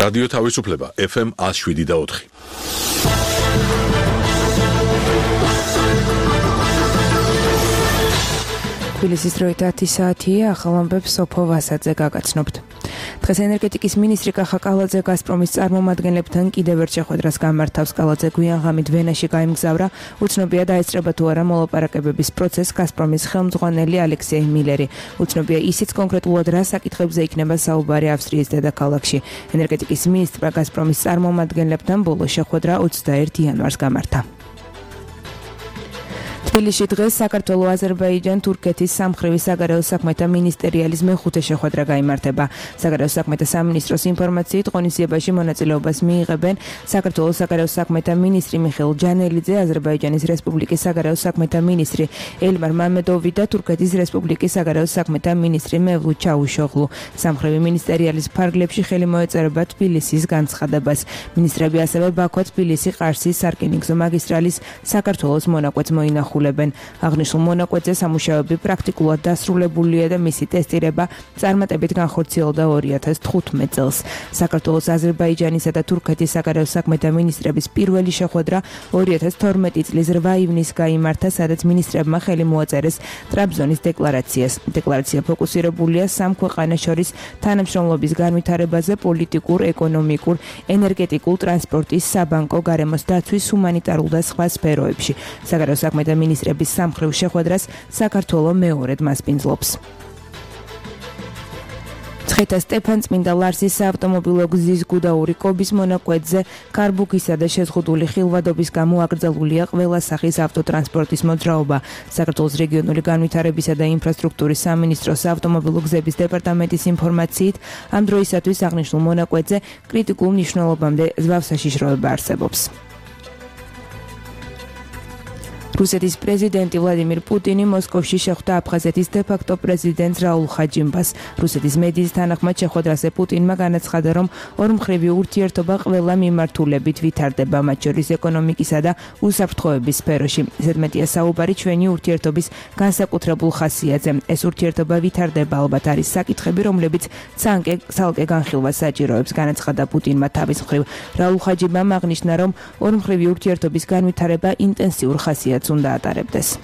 რადიო თავისუფლება FM 107.4. თბილისის დროით 10 საათია, ახალ ამბებს სოფო ვასაძე გაგაცნობთ. დღეს ენერგეტიკის მინისტრი კახა კალაძე გაზპრომის წარმომადგენლებთან კიდევ ერთ შეხვედრას გამართავს. კალაძე გვიან ღამით ვენაში გაემგზავრა. უცნობია დაესწრება თუ არა მოლაპარაკებების პროცესს გაზპრომის ხელმძღვანელი ალექსეი მილერი. უცნობია ისიც კონკრეტულად რა საკითხებზე იქნება საუბარი ავსტრიის დედაქალაქში. ენერგეტიკის მინისტრმა გაზპრომის წარმომადგენლებთან ბოლო შეხვედრა 21 იანვარს გამართა. თბილისში დღეს საქართველოს აზერბაიჯან-თურქეთის სამხრივი საგარეო საქმეთა მინისტერიალის მეხუთე შეხვედრა გაიმართება. საგარეო საქმეთა სამინისტროს ინფორმაციით ღონისძიებაში მონაწილეობას მიიღებენ საქართველოს საგარეო საქმეთა მინისტრი მიხეილ ჯანელიძე, აზერბაიჯანის რესპუბლიკის საგარეო საქმეთა მინისტრი ელმარ მამედოვი და თურქეთის რესპუბლიკის საგარეო საქმეთა მინისტრი მევლութ ჩაუშოღლუ. სამხრივი მინისტერიალის ფარგლებში ხელი მოეწერება თბილისის განცხადებას. მინისტრები ასევე ბაქო, თბილისი, ყარსის, სარკინიგზო მაგისტრალის საქართველოს მონაკვეთს მოინახულობენ. აღნიშნულ მონაკვეთზე სამუშაოები პრაქტიკულად დასრულებულია და მისი ტესტირება წარმატებით განხორციელდა 2015 წელს. საქართველოს, აზერბაიჯანისა და თურქეთის საგარეო საქმეთა მინისტრების პირველი შეხვედრა 2012 წლის 8 ივნისს გაიმართა, სადაც მინისტრებმა ხელი მოაწერეს ტრაბზონის დეკლარაციას. დეკლარაცია ფოკუსირებულია სამ ქვეყანას შორის თანამშრომლობის განვითარებაზე პოლიტიკურ, ეკონომიკურ, ენერგეტიკულ, ტრანსპორტის, საბანკო, გარემოს დაცვის, ჰუმანიტარულ და სხვა სფეროებში. საგარეო საქმეთა მინისტრების სამხრივ შეხვედრას საქართველოს მეორედ მასპინძლობს. ცხეთა სტეფანწმინდა ლარსის საავტომობილო გზის გუდაური კობის მონაკვეთზე კარბუქისა და შეზღუდული ხილვადობის გამო აკრძალულია ყველა სახის ავტოტრანსპორტის მოძრაობა. საქართველოს რეგიონული განვითარებისა და ინფრასტრუქტურის სამინისტროს ავტომობილო გზების დეპარტამენტის ინფორმაციით, ამ დროისათვის აღნიშნულ მონაკვეთზე კრიტიკულ მნიშვნელობამდე ზვავსაშიშროება არსებობს. რუსეთის პრეზიდენტი ვლადიმირ პუტინი მოსკოვში შეხვდა აფხაზეთის დე-ფაქტო პრეზიდენტს რაულ ხაჯიმბას. რუსეთის მედიის თანახმად შეხვედრაზე პუტინმა განაცხადა, რომ ორმხრივი ურთიერთობა ყველა მიმართულებით ვითარდება, მათ შორის ეკონომიკისა და უსაფრთხოების სფეროში. ზედმეტია საუბარი ჩვენი ურთიერთობის განსაკუთრებულ ხასიათზე. ეს ურთიერთობა ვითარდება, ალბათ არის საკითხები, რომლებიც ცალკე განხილვას საჭიროებს, განაცხადა პუტინმა თავის მხრივ. რაულ ხაჯიმბამ აღნიშნა, რომ ორმხრივი ურთიერთობის განვითარება ინტენსიურ ხასიათს უნდა ატარებდეს.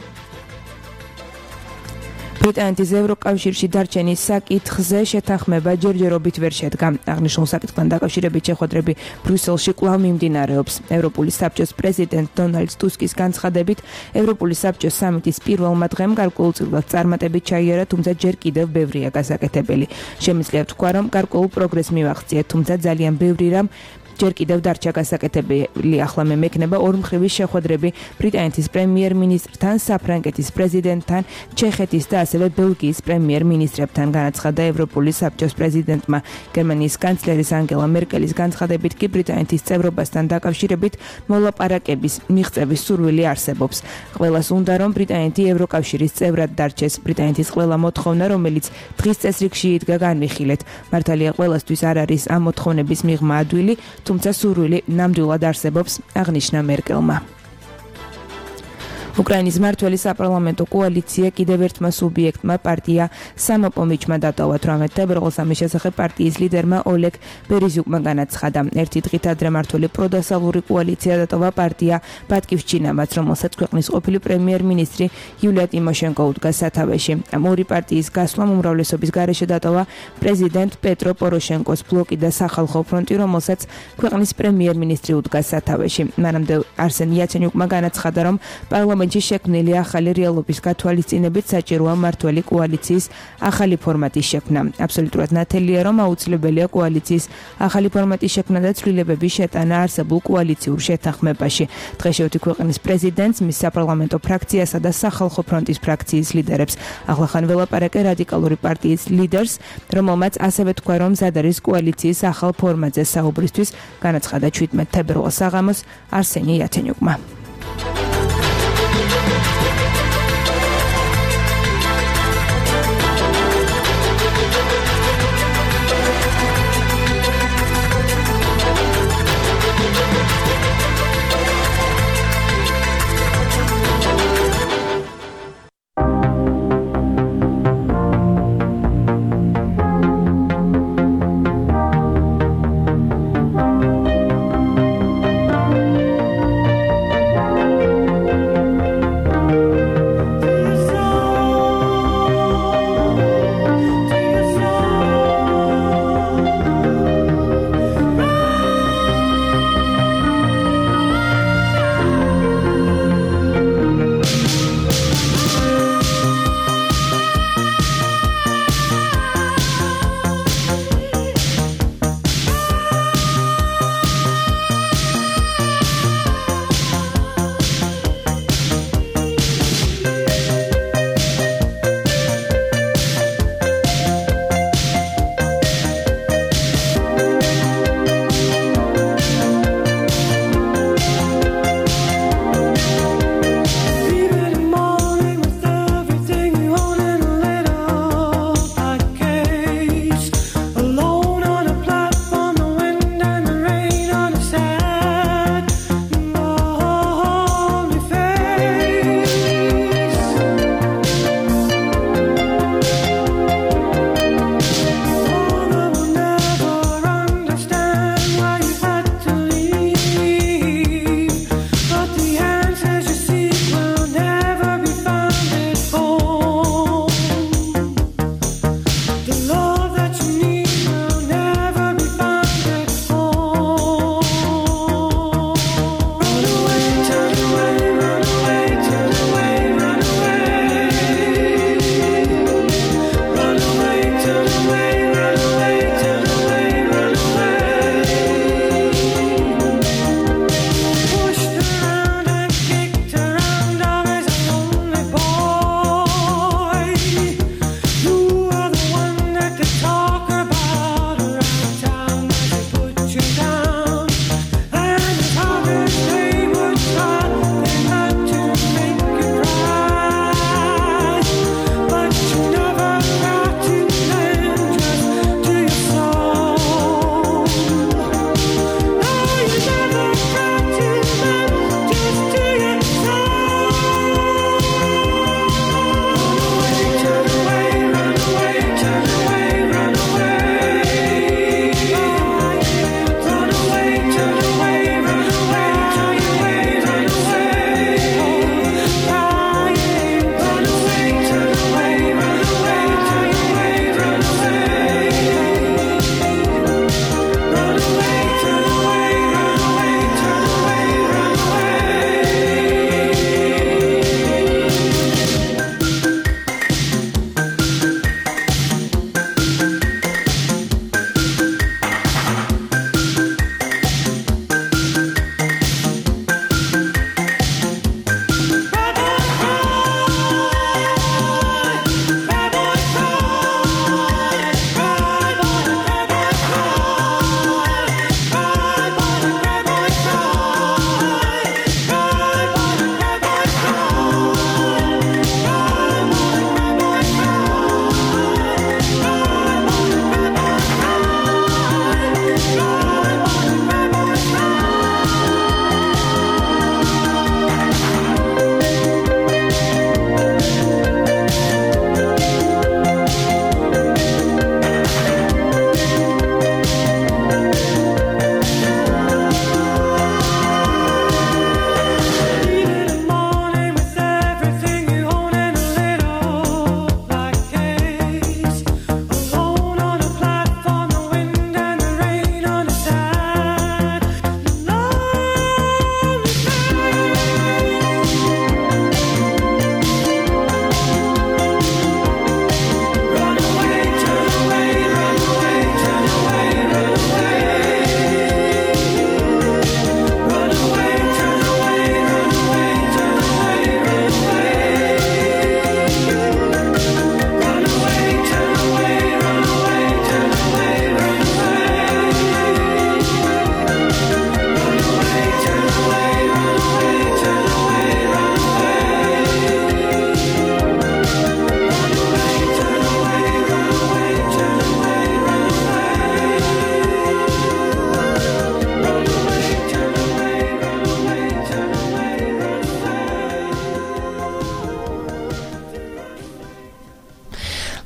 ბრიტანეთის ევროკავშირში დარჩენის საკითხზე შეთანხმება ჯერჯერობით ვერ შედგა. აღნიშნულ საკითხთან დაკავშირებით შეხვედრები ბრიუსელში კვლავ მიმდინარეობს. ევროპული საბჭოს პრეზიდენტ დონალდ ტუსკის განცხადებით, ევროპული საბჭოს სამიტის პირველმა დღემ გარკვეულწილად წარმატებით ჩაიარა, თუმცა ჯერ კიდევ ბევრია გასაკეთებელი. შემიძლია ვთქვა, რომ გარკვეულ პროგრესს მივახციეთ, თუმცა ძალიან ბევრი რამ ჯერ კიდევ დარჩა გასაკეთებელი. ახლა მე მექნება ორმხრივი შეხვედრები ბრიტანეთის პრემიერ-მინისტრთან, საფრანგეთის პრეზიდენტთან, ჩეხეთის და ასევე ბელგიის პრემიერ-მინისტრებთან, განაცხადა ევროპული საბჭოს პრეზიდენტმა. გერმანიის კანცლერის ანგელა მერკელის განცხადებით კი ბრიტანეთის წევრობასთან დაკავშირებით მოლაპარაკების მიღწევის სურვილი არსებობს. ყველას უნდა, რომ ბრიტანეთი ევროკავშირის წევრად დარჩეს. ბრიტანეთის ყველა მოთხოვნა, რომელიც დღის წესრიგში იდგა, განვიხილეთ. მართალია ყველასთვის არ არის ამ მოთხოვნების მიღმა ადვილი, თუმცა სურვილი ნამდვილად არსებობს, აღნიშნა მერკელმა. უკრაინის მმართველი საპარლამენტო კოალიცია კიდევ ერთმა სუბიექტმა პარტია სამოპომიჩმა დატოვა. 18 თებერვალს ამის შესახებ პარტიის ლიდერმა ოლეგ ბერეზიუკმა განაცხადა. ერთი დღით ადრე მმართველი პროდასალური კოალიცია დატოვა პარტია ბატკივშჩინამაც, რომელსაც ქვეყნის ყოფილი პრემიერ-მინისტრი იულია ტიმოშენკო უდგა სათავეში. ამ ორი პარტიის გასვლამ უმრავლესობის გარეშე დატოვა პრეზიდენტ პეტრო პოროშენკოს ბლოკი და სახალხო ფრონტი, რომელსაც ქვეყნის პრემიერ-მინისტრი უდგა სათავეში. მანამდე არსენ იაცენიუკმა განაცხადა, რომ პარლამენტში შექმნილი ახალი რეალობის გათვალისწინებით საჭიროა მმართველი კოალიციის ახალი ფორმატის შექმნა. აბსოლუტურად ნათელია, რომ აუცილებელია კოალიციის ახალი ფორმატის შექმნა და ცვლილებების შეტანა არსებულ კოალიციურ შეთანხმებაში. დღეშევთი ქვეყნის პრეზიდენტს, მის საპარლამენტო ფრაქციასა და სახალხო ფრონტის ფრაქციის ლიდერებს. ახლახან ველაპარაკე რადიკალური პარტიის ლიდერს, რომელმაც ასევე თქვა, რომ მზად არის კოალიციის ახალ ფორმატზე საუბრისთვის, განაცხადა 17 თებერვალს საღამოს არსენი იაცენიუკმა.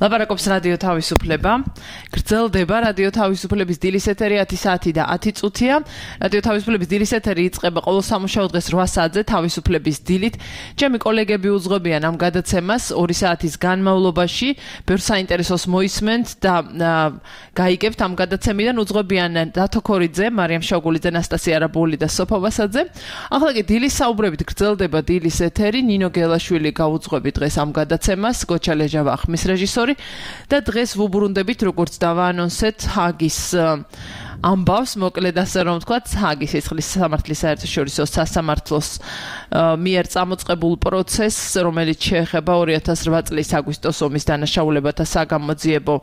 ლაპარაკობს რადიო თავისუფლება. გრძელდება რადიო თავისუფლების დილის ეთერი 10 საათი და 10 წუთია. რადიო თავისუფლების დილის ეთერი იწყება ყოველ სამუშაო დღეს 8 საათზე თავისუფლების დილით. ჩემი კოლეგები უძღვებიან ამ გადაცემას 2 საათის განმავლობაში. ბევრ საინტერესოს მოისმენთ და გაიგებთ ამ გადაცემიდან. უძღვებიან დათო ქორიძე, მარიამ შოგულიძე, ნასტასია არაბული და სოფო ვასაძე. ახლა კი დილის საუბრებით გრძელდება დილის ეთერი. ნინო გელაშვილი გაუძღვები დღეს ამ გადაცემას. გოჩა ლეჟავა ხმის რეჟისორი და დღეს ვუბრუნდებით როგორც დავაანონსეთ ჰაგის ამბავს, მოკლედ ასე რომ ვთქვათ, ჰაგის სისხლის სამართლის საერთაშორისო სასამართლოს მიერ წამოწყებულ პროცესს, რომელიც შეეხება 2008 წლის აგვისტოს ომის დანაშაულებათა საგამოძიებო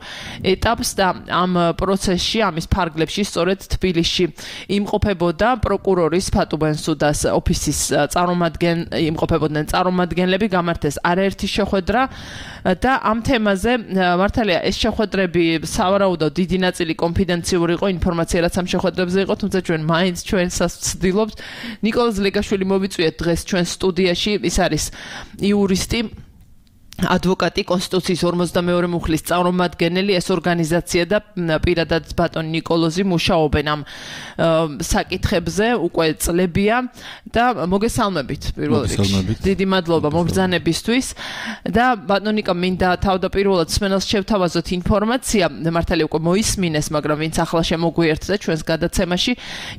ეტაპს და ამ პროცესში, ამის ფარგლებში სწორედ თბილისში იმყოფებოდა პროკურორის ფატუ ბენსუდას ოფისის იმყოფებოდნენ წარმომადგენლები, გამართეს არაერთი შეხვედრა და ამ თემაზე მართალია ეს შეხვედრები სავარაუდოდ დიდი ნაწილი კონფიდენციური იყო, ინფორმაცია რაც ამ შეხვედრებზე იყო, თუმცა ჩვენ მაინც ჩვენსაც ვცდილობთ. ნიკოლოზ ლეგაშვილი მოვიწვიეთ დღეს ჩვენ სტუდიაში, ის არის იურისტი, ადვოკატი, კონსტიტუციის 52 მუხლის წარმომადგენელი, ეს ორგანიზაცია და პირადად ბატონი ნიკოლოზი მუშაობენ ამ საკითხებზე უკვე წლებია და მოგესალმებით პირველ რიგში. დიდი მადლობა მობრძანებისთვის და ბატონიკა მინდა თავდაპირველად სმენელს შევთავაზოთ ინფორმაცია, მართალია უკვე მოისმინეს, მაგრამ ვინც ახლა შემოგვიერთდა ჩვენს გადაცემაში,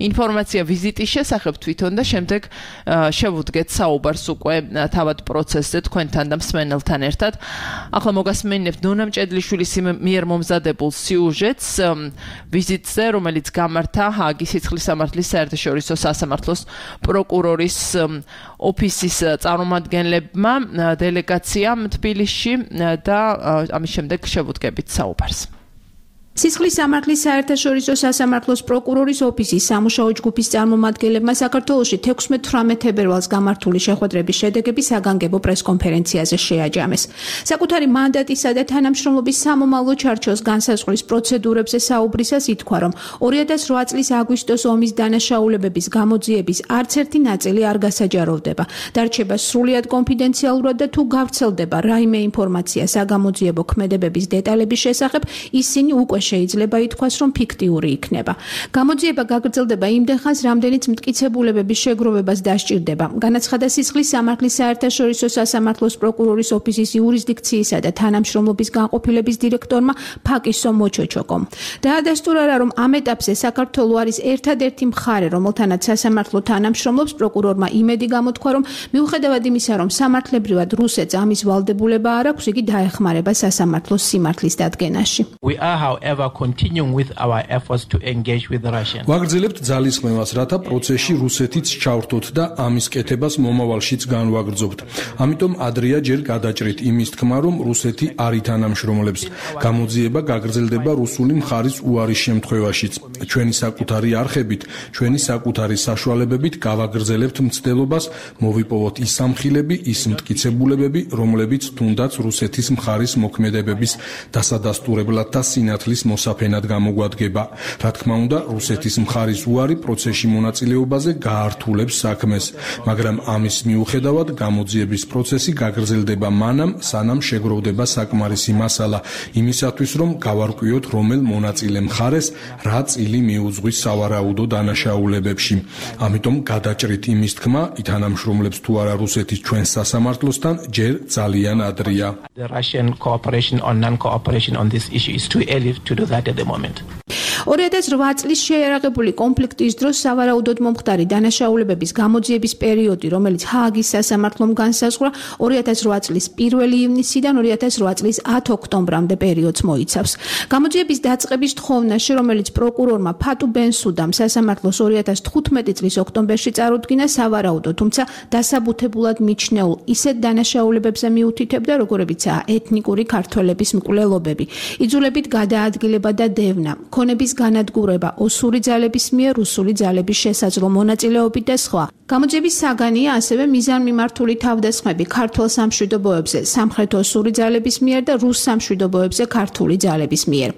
ინფორმაცია ვიზიტის შესახებ თვითონ და შემდეგ შევუდგეთ საუბარს უკვე თავად პროცესზე თქვენთან და მსმენელთან ერთად. ახლა მოგასმენებთ ნონა მჭედლიშვილის მიერ მომზადებულ სიუჟეტს ვიზიტზე, რომელიც გამართა ჰაგის სისხლის სამართლის საერთაშორისო სასამართლოს პროკურორის ოფისის წარმომადგენლებმა დელეგაციამ თბილისში და ამის შემდეგ შევუდგებით საუბარს. სისხლის სამართლის საერთაშორისო სასამართლოს პროკურორის ოფისის სამუშაო ჯგუფის წარმომადგენლებმა საქართველოში 16-18 თებერვალს გამართული შეხვედრების შედეგები საგანგებო პრესკონფერენციაზე შეაჯამეს. საკუთარი მანდატისა და თანამშრომლობის სამომავლო ჩარჩოს განსაზღვრის პროცედურებზე საუბრისას ითქვა, რომ 2008 წლის აგვისტოს ომის დანაშაულებების გამოძიების არც ერთი ნაწილი არ გასაჯაროვდება. დარჩება სრულიად კონფიდენციალურად და თუ გავრცელდება რაიმე ინფორმაცია საგამოძიებო ქმედებების დეტალების შესახებ, ისინი უკვე შეიძლება ითქვას, რომ ფიქტიური იქნება. გამოძიება გაგრძელდება იმდენ ხანს, რამდენიც მტკიცებულებების შეგროვებას დასჭირდება. განაცხადა სისხლის სამართლის საერთაშორისო სასამართლოს პროკურორის ოფისის იურისდიქციისა და თანამშრომლობის განყოფილების დირექტორმა ფაკისო მოჩოჩოკომ. დაადასტურა, რომ ამ ეტაპზე საქართველო არის ერთადერთი მხარე, რომელთანაც სასამართლო თანამშრომლობს. პროკურორმა იმედი გამოთქვა, რომ მიუხედავად იმისა, რომ სამართლებრივად რუსეთს ამის ვალდებულება არ აქვს, იგი დაეხმარება სასამართლოს სიმართლის დადგენაში. Continuing with our efforts to engage with Russia. ვაგრძელებთ ძალისხმევას, რათა პროცესში რუსეთიც ჩავრთოთ და ამის კეთებას მომავალშიც განვაგრძობთ. ამიტომ ადრეა ჯერ გადაჭრით იმის თქმა, რომ რუსეთი არ ითანამშრომლებს. გამოძიება გაგრძელდება რუსული მხარის უარის შემთხვევაშიც. ჩვენი საკუთარი არხებით, ჩვენი საკუთარი საშუალებებით გავაგრძელებთ მცდელობას, მოვიპოვოთ ის სამხილები, ის მტკიცებულებები, რომლებიც თუნდაც რუსეთის მხარის მოქმედებების დასადასტურებლად და სინათლის მოსაფენად გამოგვადგება. რა თქმა უნდა, რუსეთის მხარის უარი პროცესში მონაწილეობაზე გაართულებს საქმეს, მაგრამ ამის მიუხედავად გამოძიების პროცესი გაგრძელდება მანამ, სანამ შეგროვდება საკმარისი მასალა იმისათვის, რომ გავარკვიოთ, რომელ მონაწილე მხარეს რა წილი მიუძღვის სავარაუდო დანაშაულებებში. ამიტომ გადაჭრით იმის თქმა, ითანამშრომლებს თუ არა რუსეთის ჩვენს სასამართლოსთან, ჯერ ძალიან ადრეა. The Russian cooperation or non-cooperation on this issue is too early to do that at the moment. 2008 წლის შეიარაღებული კონფლიქტის დროს სავარაუდოდ მომხდარი დანაშაულებების გამოძიების პერიოდი, რომელიც ჰააგის სასამართლომ განსაზღვრა 2008 წლის 1 ივნისიდან 2008 წლის 10 ოქტომბრამდე პერიოდს მოიცავს. გამოძიების დაწყების თხოვნაში, რომელიც პროკურორმა ფატუ ბენსუდამ სასამართლოს 2015 წლის ოქტომბერში წარუდგინა, სავარაუდო, თუმცა დასაბუთებულად მიჩნეულ ისეთ დანაშაულებებზე მიუთითებდა, როგორებიცაა ეთნიკური ქართველების მკვლელობები, იძულებით გადაადგილება და დევნა, ქონების განადგურება ოსური ძალების მიერ რუსული ძალების შესაძლო მონაწილეობით და სხვა. გამოძიების საგანია ასევე მიზანმიმართული თავდასხმები ქართულ სამშვიდობოებზე სამხრეთ ოსური ძალების მიერ და რუს სამშვიდობოებზე ქართული ძალების მიერ.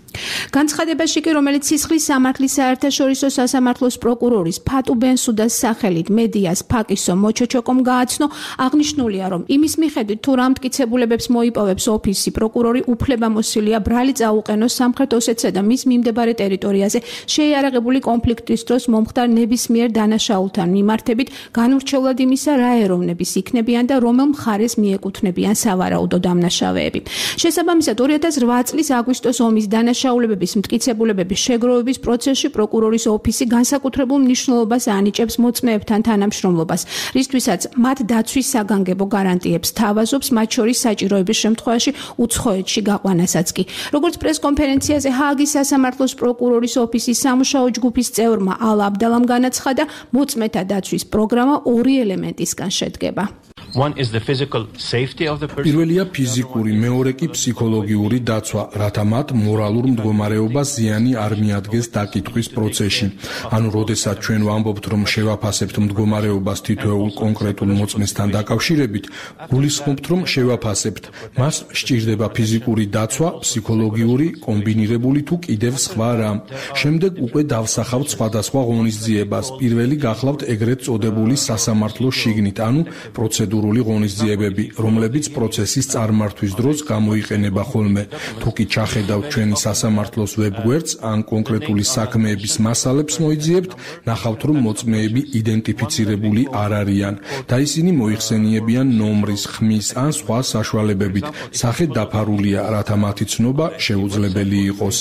განცხადებაში კი, რომელიც სისხლის სამართლის საერთაშორისო სასამართლოს პროკურორის ფატუ ბენსუდას სახელით მედიას ფაკისო მოჩოჩოკომ გააცნო, აღნიშნულია, რომ იმის მიხედვით თუ რა მტკიცებულებებს მოიპოვებს ოფისი, პროკურორი უფლებამოსილია ბრალი წაუყენოს სამხრეთ ოსეთსა და მის მიმდებარე ტერიტორიაზე შეიარაღებული კონფლიქტის დროს მომხდარ ნებისმიერ დანაშაულთან მიმართებით განურჩევლად იმისა, რა ეროვნების იქნებიან და რომელ მხარეს მიეკუთვნებიან სავარაუდო დამნაშავეები. შესაბამისად 2008 წლის აგვისტოს ომის დანაშაულებების მტკიცებულებების შეგროვების პროცესში პროკურორის ოფისი განსაკუთრებულ მნიშვნელობას ანიჭებს მოწმეებთან თანამშრომლობას, რისთვისაც მათ დაცვის საგანგებო გარანტიებს თავაზობს, მათ შორის საჭიროების შემთხვევაში უცხოეთში გაყვანასაც კი. როგორც პრესკონფერენციაზე ჰააგის სასამართლოს პროკურორის ოფისის სამუშაო ჯგუფის წევრმა ალა აბდალამ განაცხადა, მოწმეთა დაცვის პროგრამა ორი ელემენტისგან შედგება. One is the physical safety of the person. პირველია ფიზიკური, მეორე კი ფსიქოლოგიური დაცვა, რათა მათ მორალურ მდგომარეობას ზიანი არ მიადგეს დაკითხვის პროცესში. ანუ, როდესაც ჩვენ ვამბობთ, რომ შევაფასებთ მდგომარეობას თითოეულ კონკრეტულ მოწმესთან დაკავშირებით, გულისხმობთ, რომ შევაფასებთ. მას სჭირდება ფიზიკური დაცვა, ფსიქოლოგიური, კომბინირებული თუ კიდევ სხვა რამ. შემდეგ უკვე დავსახავთ სხვადასხვა ღონისძიებას. პირველი გახლავთ ეგრეთ წოდებული სასამართლოს შიგნით, ანუ პროცედურული ღონისძიებები, რომლებიც პროცესის წარმართვის დროს გამოიყენება ხოლმე. თუ კი ჩახედავთ ჩვენი სასამართლოს ვებგვერდს ან კონკრეტული საქმეების მასალებს მოიძიებთ, ნახავთ, რომ მოწმეები იდენტიფიცირებული არ არიან და ისინი მოიხსენიებიან ნომრის, ხმის ან სხვა საშუალებებით. სახე დაფარულია, რათა მათი ცნობა შეუძლებელი იყოს.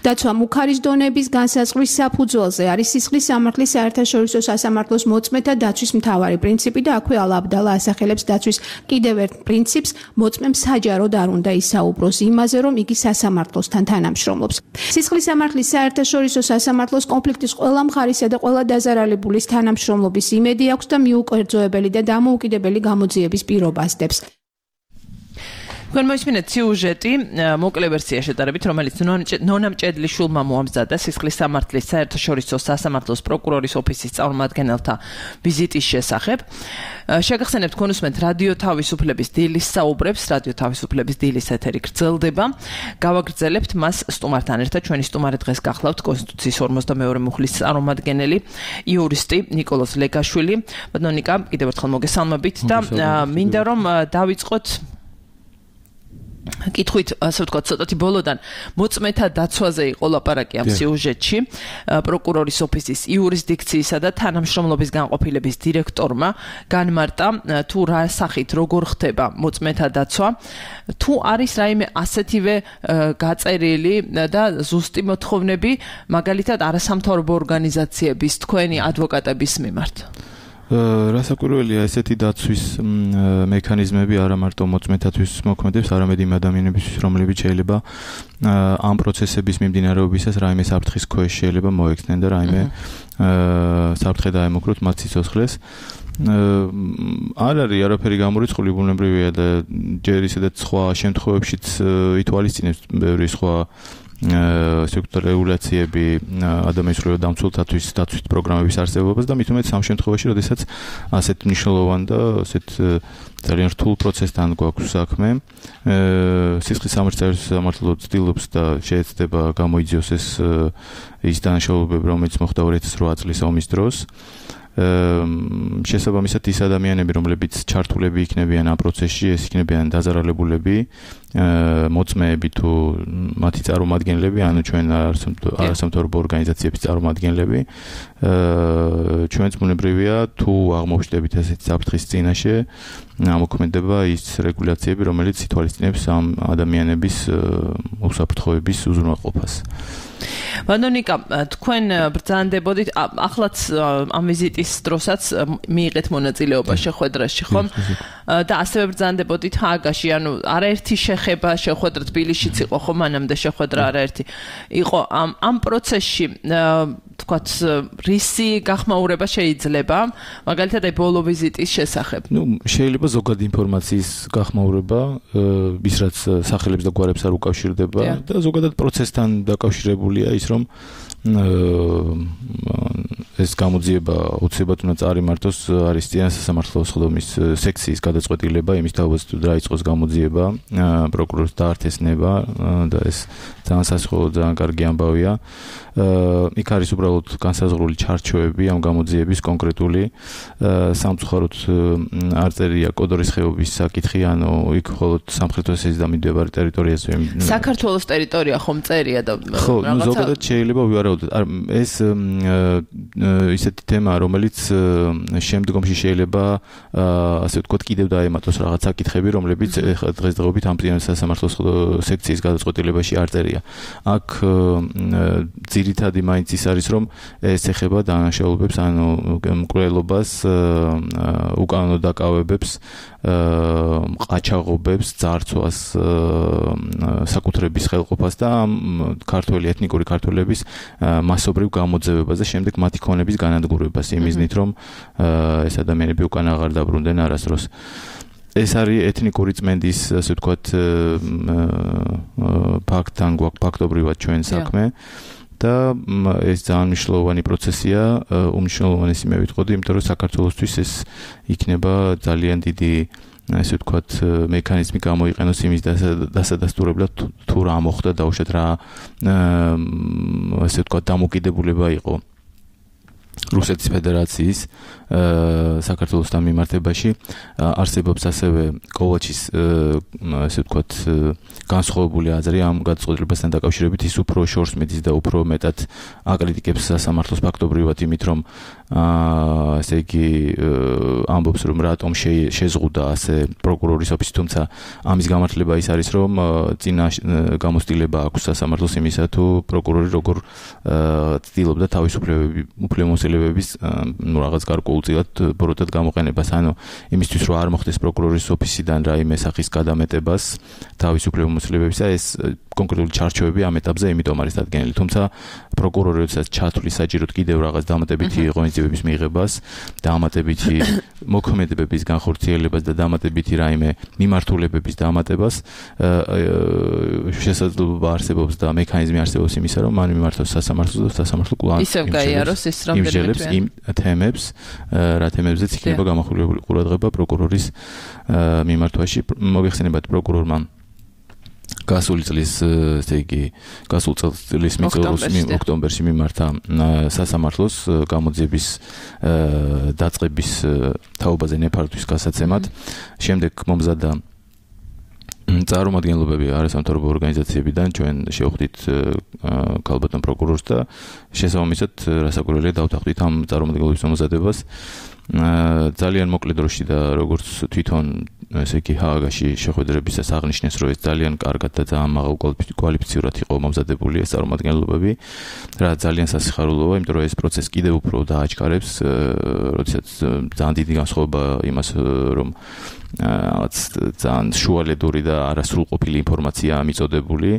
დაცვა მუქარის დონების განსაზღვრის საფუძველზე არის სისხლის სამართლის საერთაშორისო სასამართლოს მოწმეთა დაცვის მთავარი პრინციპი და აქვე ალა აბდალა ასახელებს დაცვის კიდევ ერთ პრინციპს, მოწმემ საჯაროდ არ უნდა ისაუბროს იმაზე, რომ იგი სასამართლოსთან თანამშრომლობს. სისხლის სამართლის საერთაშორისო სასამართლოს კონფლიქტის ყველა მხარისა და ყველა დაზარალებულის თანამშრომლობის იმედი აქვს და მიუკერძოებელი და დამოუკიდებელი გამოძიების პირობა ასდებს. თქვენ მოისმინეთ სიუჟეტი მოკლე ვერსია შეტარებით, რომელიც ნონა მჭედლიშვილმა მოამზადა სისხლის სამართლის საერთაშორისო სასამართლოს პროკურორის ოფისის წარმომადგენელთა ვიზიტის შესახებ. შეგახსენებთ, თქვენ უსმენთ რადიო თავისუფლების დილის საუბრებს, რადიო თავისუფლების დილის ეთერი გრძელდება. გავაგრძელებთ მას სტუმართან ერთად. ჩვენი სტუმარი დღეს გახლავთ კონსტიტუციის 52 მუხლის წარმომადგენელი, იურისტი ნიკოლოზ ლეგაშვილი. ბატონო ნიკა, კიდევ ერთხელ მოგესალმებით და მინდა რომ დავიწყოთ კითხვით, ასე ვთქვათ, ცოტათი ბოლოდან მოწმეთა დაცვაზე იყო ლაპარაკი ამ სიუჟეტში. პროკურორის ოფისის იურისდიქციისა და თანამშრომლობის განყოფილების დირექტორმა განმარტა, თუ რა სახით როგორ ხდება მოწმეთა დაცვა, თუ არის რაიმე ასეთივე გაწერილი და ზუსტი მოთხოვნები, მაგალითად არასამთავრობო ორგანიზაციების, თქვენი ადვოკატების მიმართ. რასაკვირველია, ესეთი დაცვის მექანიზმები არა მარტო მოწმეთათვის მოქმედებს, არამედ იმ ადამიანებისთვის, რომლებიც შეიძლება ამ პროცესების მიმდინარეობისას რაიმე საფრთხის ქვეშ შეიძლება მოექცნენ და რაიმე საფრთხე დაემუქროთ მათ სიცოცხლეს. არ არის არაფერი გამორიცხული, ბუნებრივია და ჯერ ისედაც სხვა შემთხვევებშიც ითვალისწინებს ბევრი სხვა რეგულაციები ადამიანის ზღვრებად დამცველთათვის დაცვის პროგრამების არსებობას და მით უმეტეს ამ შემთხვევაში, როდესაც ასეთ მნიშვნელოვან და ასეთ ძალიან რთულ პროცესთან გვაქვს საქმე, სისხლის სამართლო ცდილობს და შეეცდება გამოიძიოს ის დანაშაულებები, რომელიც მოხდა 2008 წლის ომის დროს. შესაბამისად ის ადამიანები, რომლებიც ჩართულები იქნებიან ამ პროცესში, ეს იქნებიან დაზარალებულები, მოწმეები თუ მათი წარმომადგენლები, ანუ ჩვენ არასამთავრობო ორგანიზაციების წარმომადგენლები, ჩვენც ბუნებრივია თუ აღმოჩნდებით ესეთი საფრთხის წინაშე, ამოქმედება ის რეგულაციები, რომელიც ითვალისწინებს ამ ადამიანების უსაფრთხოების უზრუნველყოფას. ბატონიკა, თქვენ ბრძანდებოდით, ახლაც ამ ვიზიტის დროსაც მიიღეთ მონაწილეობა შეხვედრაში, ხომ? და ასევე ბრძანდებოდით ჰააგაში, ანუ არაერთი შეხება შეხვედრა თბილისშიც იყო ხო მანამდე შეხვედრა არაერთი იყო ამ პროცესში თქვათ რისი გახმაურება შეიძლება მაგალითად აი ბოლო ვიზიტის შესახებ შეიძლება ზოგადი ინფორმაციის გახმაურება ის რაც სახელებს და გვარებს არ უკავშირდება და ზოგადად პროცესთან დაკავშირებულია ის რომ ეს გამოძიება უცებად უნდა წარიმართოს არის წინა სასამართლოს ხდომის სექციის გადაწყვეტილება იმის თავად რა იწყოს გამოძიება პროკურორს დაართესნება და ეს ძალიან სასიხოლო ძალიან კარგი ამბავია იქ არის უბრალოდ განსაზღვრული ჩარჩოები ამ გამოძიების კონკრეტული სამწუხაროდ არ წერია კოდორის ხეობის საკითხი ანუ იქ მხოლოდ სამხრეთ ოსეთის და მიმდებარე ტერიტორიაზე საქართველოს ტერიტორია ხომ წერია და ხო ზოგადად შეიძლება ვივარაუდოთ ეს ისეთი თემაა რომელიც შემდგომში შეიძლება ასე ვთქვათ კიდევ დაემატოს რაღაც საკითხები რომლებიც დღესდღეობით ამ სასამართლოს სექციის გადაწყვეტილებაში არ წერია აქ ძირითადი მაინც ის არის რომ ეს ეხება დანაშაულებებს ანუ მკვლელობას უკანონო დაკავებებს ყაჩაღობებს ძარცვას საკუთრების ხელყოფას და ქართველი ეთნიკური ქართველების მასობრივ გამოძევებას და შემდეგ მათი ქონების განადგურებას იმიზნით რომ ეს ადამიანები უკან აღარ დაბრუნდნენ არასდროს ეს არის ეთნიკური წმენდის ასე ვთქვათ ფაქტთან გვაქვს ფაქტობრივად ჩვენ საქმე და ეს ძალიან მნიშვნელოვანი პროცესია უმნიშვნელოვანესი მე ვიტყოდი იმიტომ რომ საქართველოსთვის ეს იქნება ძალიან დიდი ასე ვთქვათ მექანიზმი გამოიყენოს იმის დასადასტურებლად თუ რა მოხდა დაუშვათ რა ასე ვთქვათ დამოკიდებულება იყო რუსეთის ფედერაციის საქართველოსთან მიმართებაში არსებობს ასევე კოვაჩის ასე ვთქვათ განსხვავებული აზრი ამ გადაწყვეტილებასთან დაკავშირებით ის უფრო შორს მიდის და უფრო მეტად აკრიტიკებს სასამართლოს ფაქტობრივად იმით რომ ესე იგი ამბობს რომ რატომ შეზღუდა ასე პროკურორის ოფისი თუმცა ამის გამართლება ის არის რომ წინა გამოცდილება აქვს სასამართლოს იმისა თუ პროკურორი როგორ ცდილობდა თავის უფლებამოსილებების ნუ რაღაც გარკვეულწილად ბოროტად გამოყენებას ანუ იმისთვის რომ არ მოხდეს პროკურორის ოფისიდან რაიმე სახის გადამეტებას თავის უფლებამოსილებებისა ეს კონკრეტული ჩარჩოები ამ ეტაპზე იმიტომ არის დადგენილი თუმცა პროკურორი როდესაც ჩათვლის საჭიროდ კიდევ რაღაც დამატებითი ღონისძიებების მიღებას დამატებითი მოქმედებების განხორციელებას და დამატებითი რაიმე მიმართულებების დამატებას შესაძლებლობა არსებობს და მექანიზმი არსებობს იმისა რომ მან მიმართოს სასამართლოს და სასამართლო კვლავ ისევ გაიაროს ეს რამდენიმე იმ თემებს რა თემებზეც იქნება გამახვილებული ყურადღება პროკურორის მიმართვაში მოიხსენებათ პროკურორმა გასული წლის ესე იგი გასულ წლის ოქტომბერში მიმართა სასამართლოს გამოძიების დაწყების თაობაზე ნეფართვის გასაცემად შემდეგ მომზადდა წარმომადგენლობები არასამთავრობო ორგანიზაციებიდან ჩვენ შევხვდით ქალბატონ პროკურორს და შესაბამისად რასაკვირველია დავთანხმდით ამ წარმომადგენლობის მომზადებას ძალიან მოკლე დროში და როგორც თვითონ ესე იგი ჰააგაში შეხვედრებისას აღნიშნეს რომ ეს ძალიან კარგად და ძალიან მაღალ კვალიფიცირად იყო მომზადებული ეს წარმომადგენლობები რა ძალიან სასიხარულოა იმიტომ რომ ეს პროცესი კიდევ უფრო დააჩქარებს როდესაც ძალიან დიდი განსხვავება იმას რომ ძალიან შუალედური და არასრულყოფილი ინფორმაციაა მიწოდებული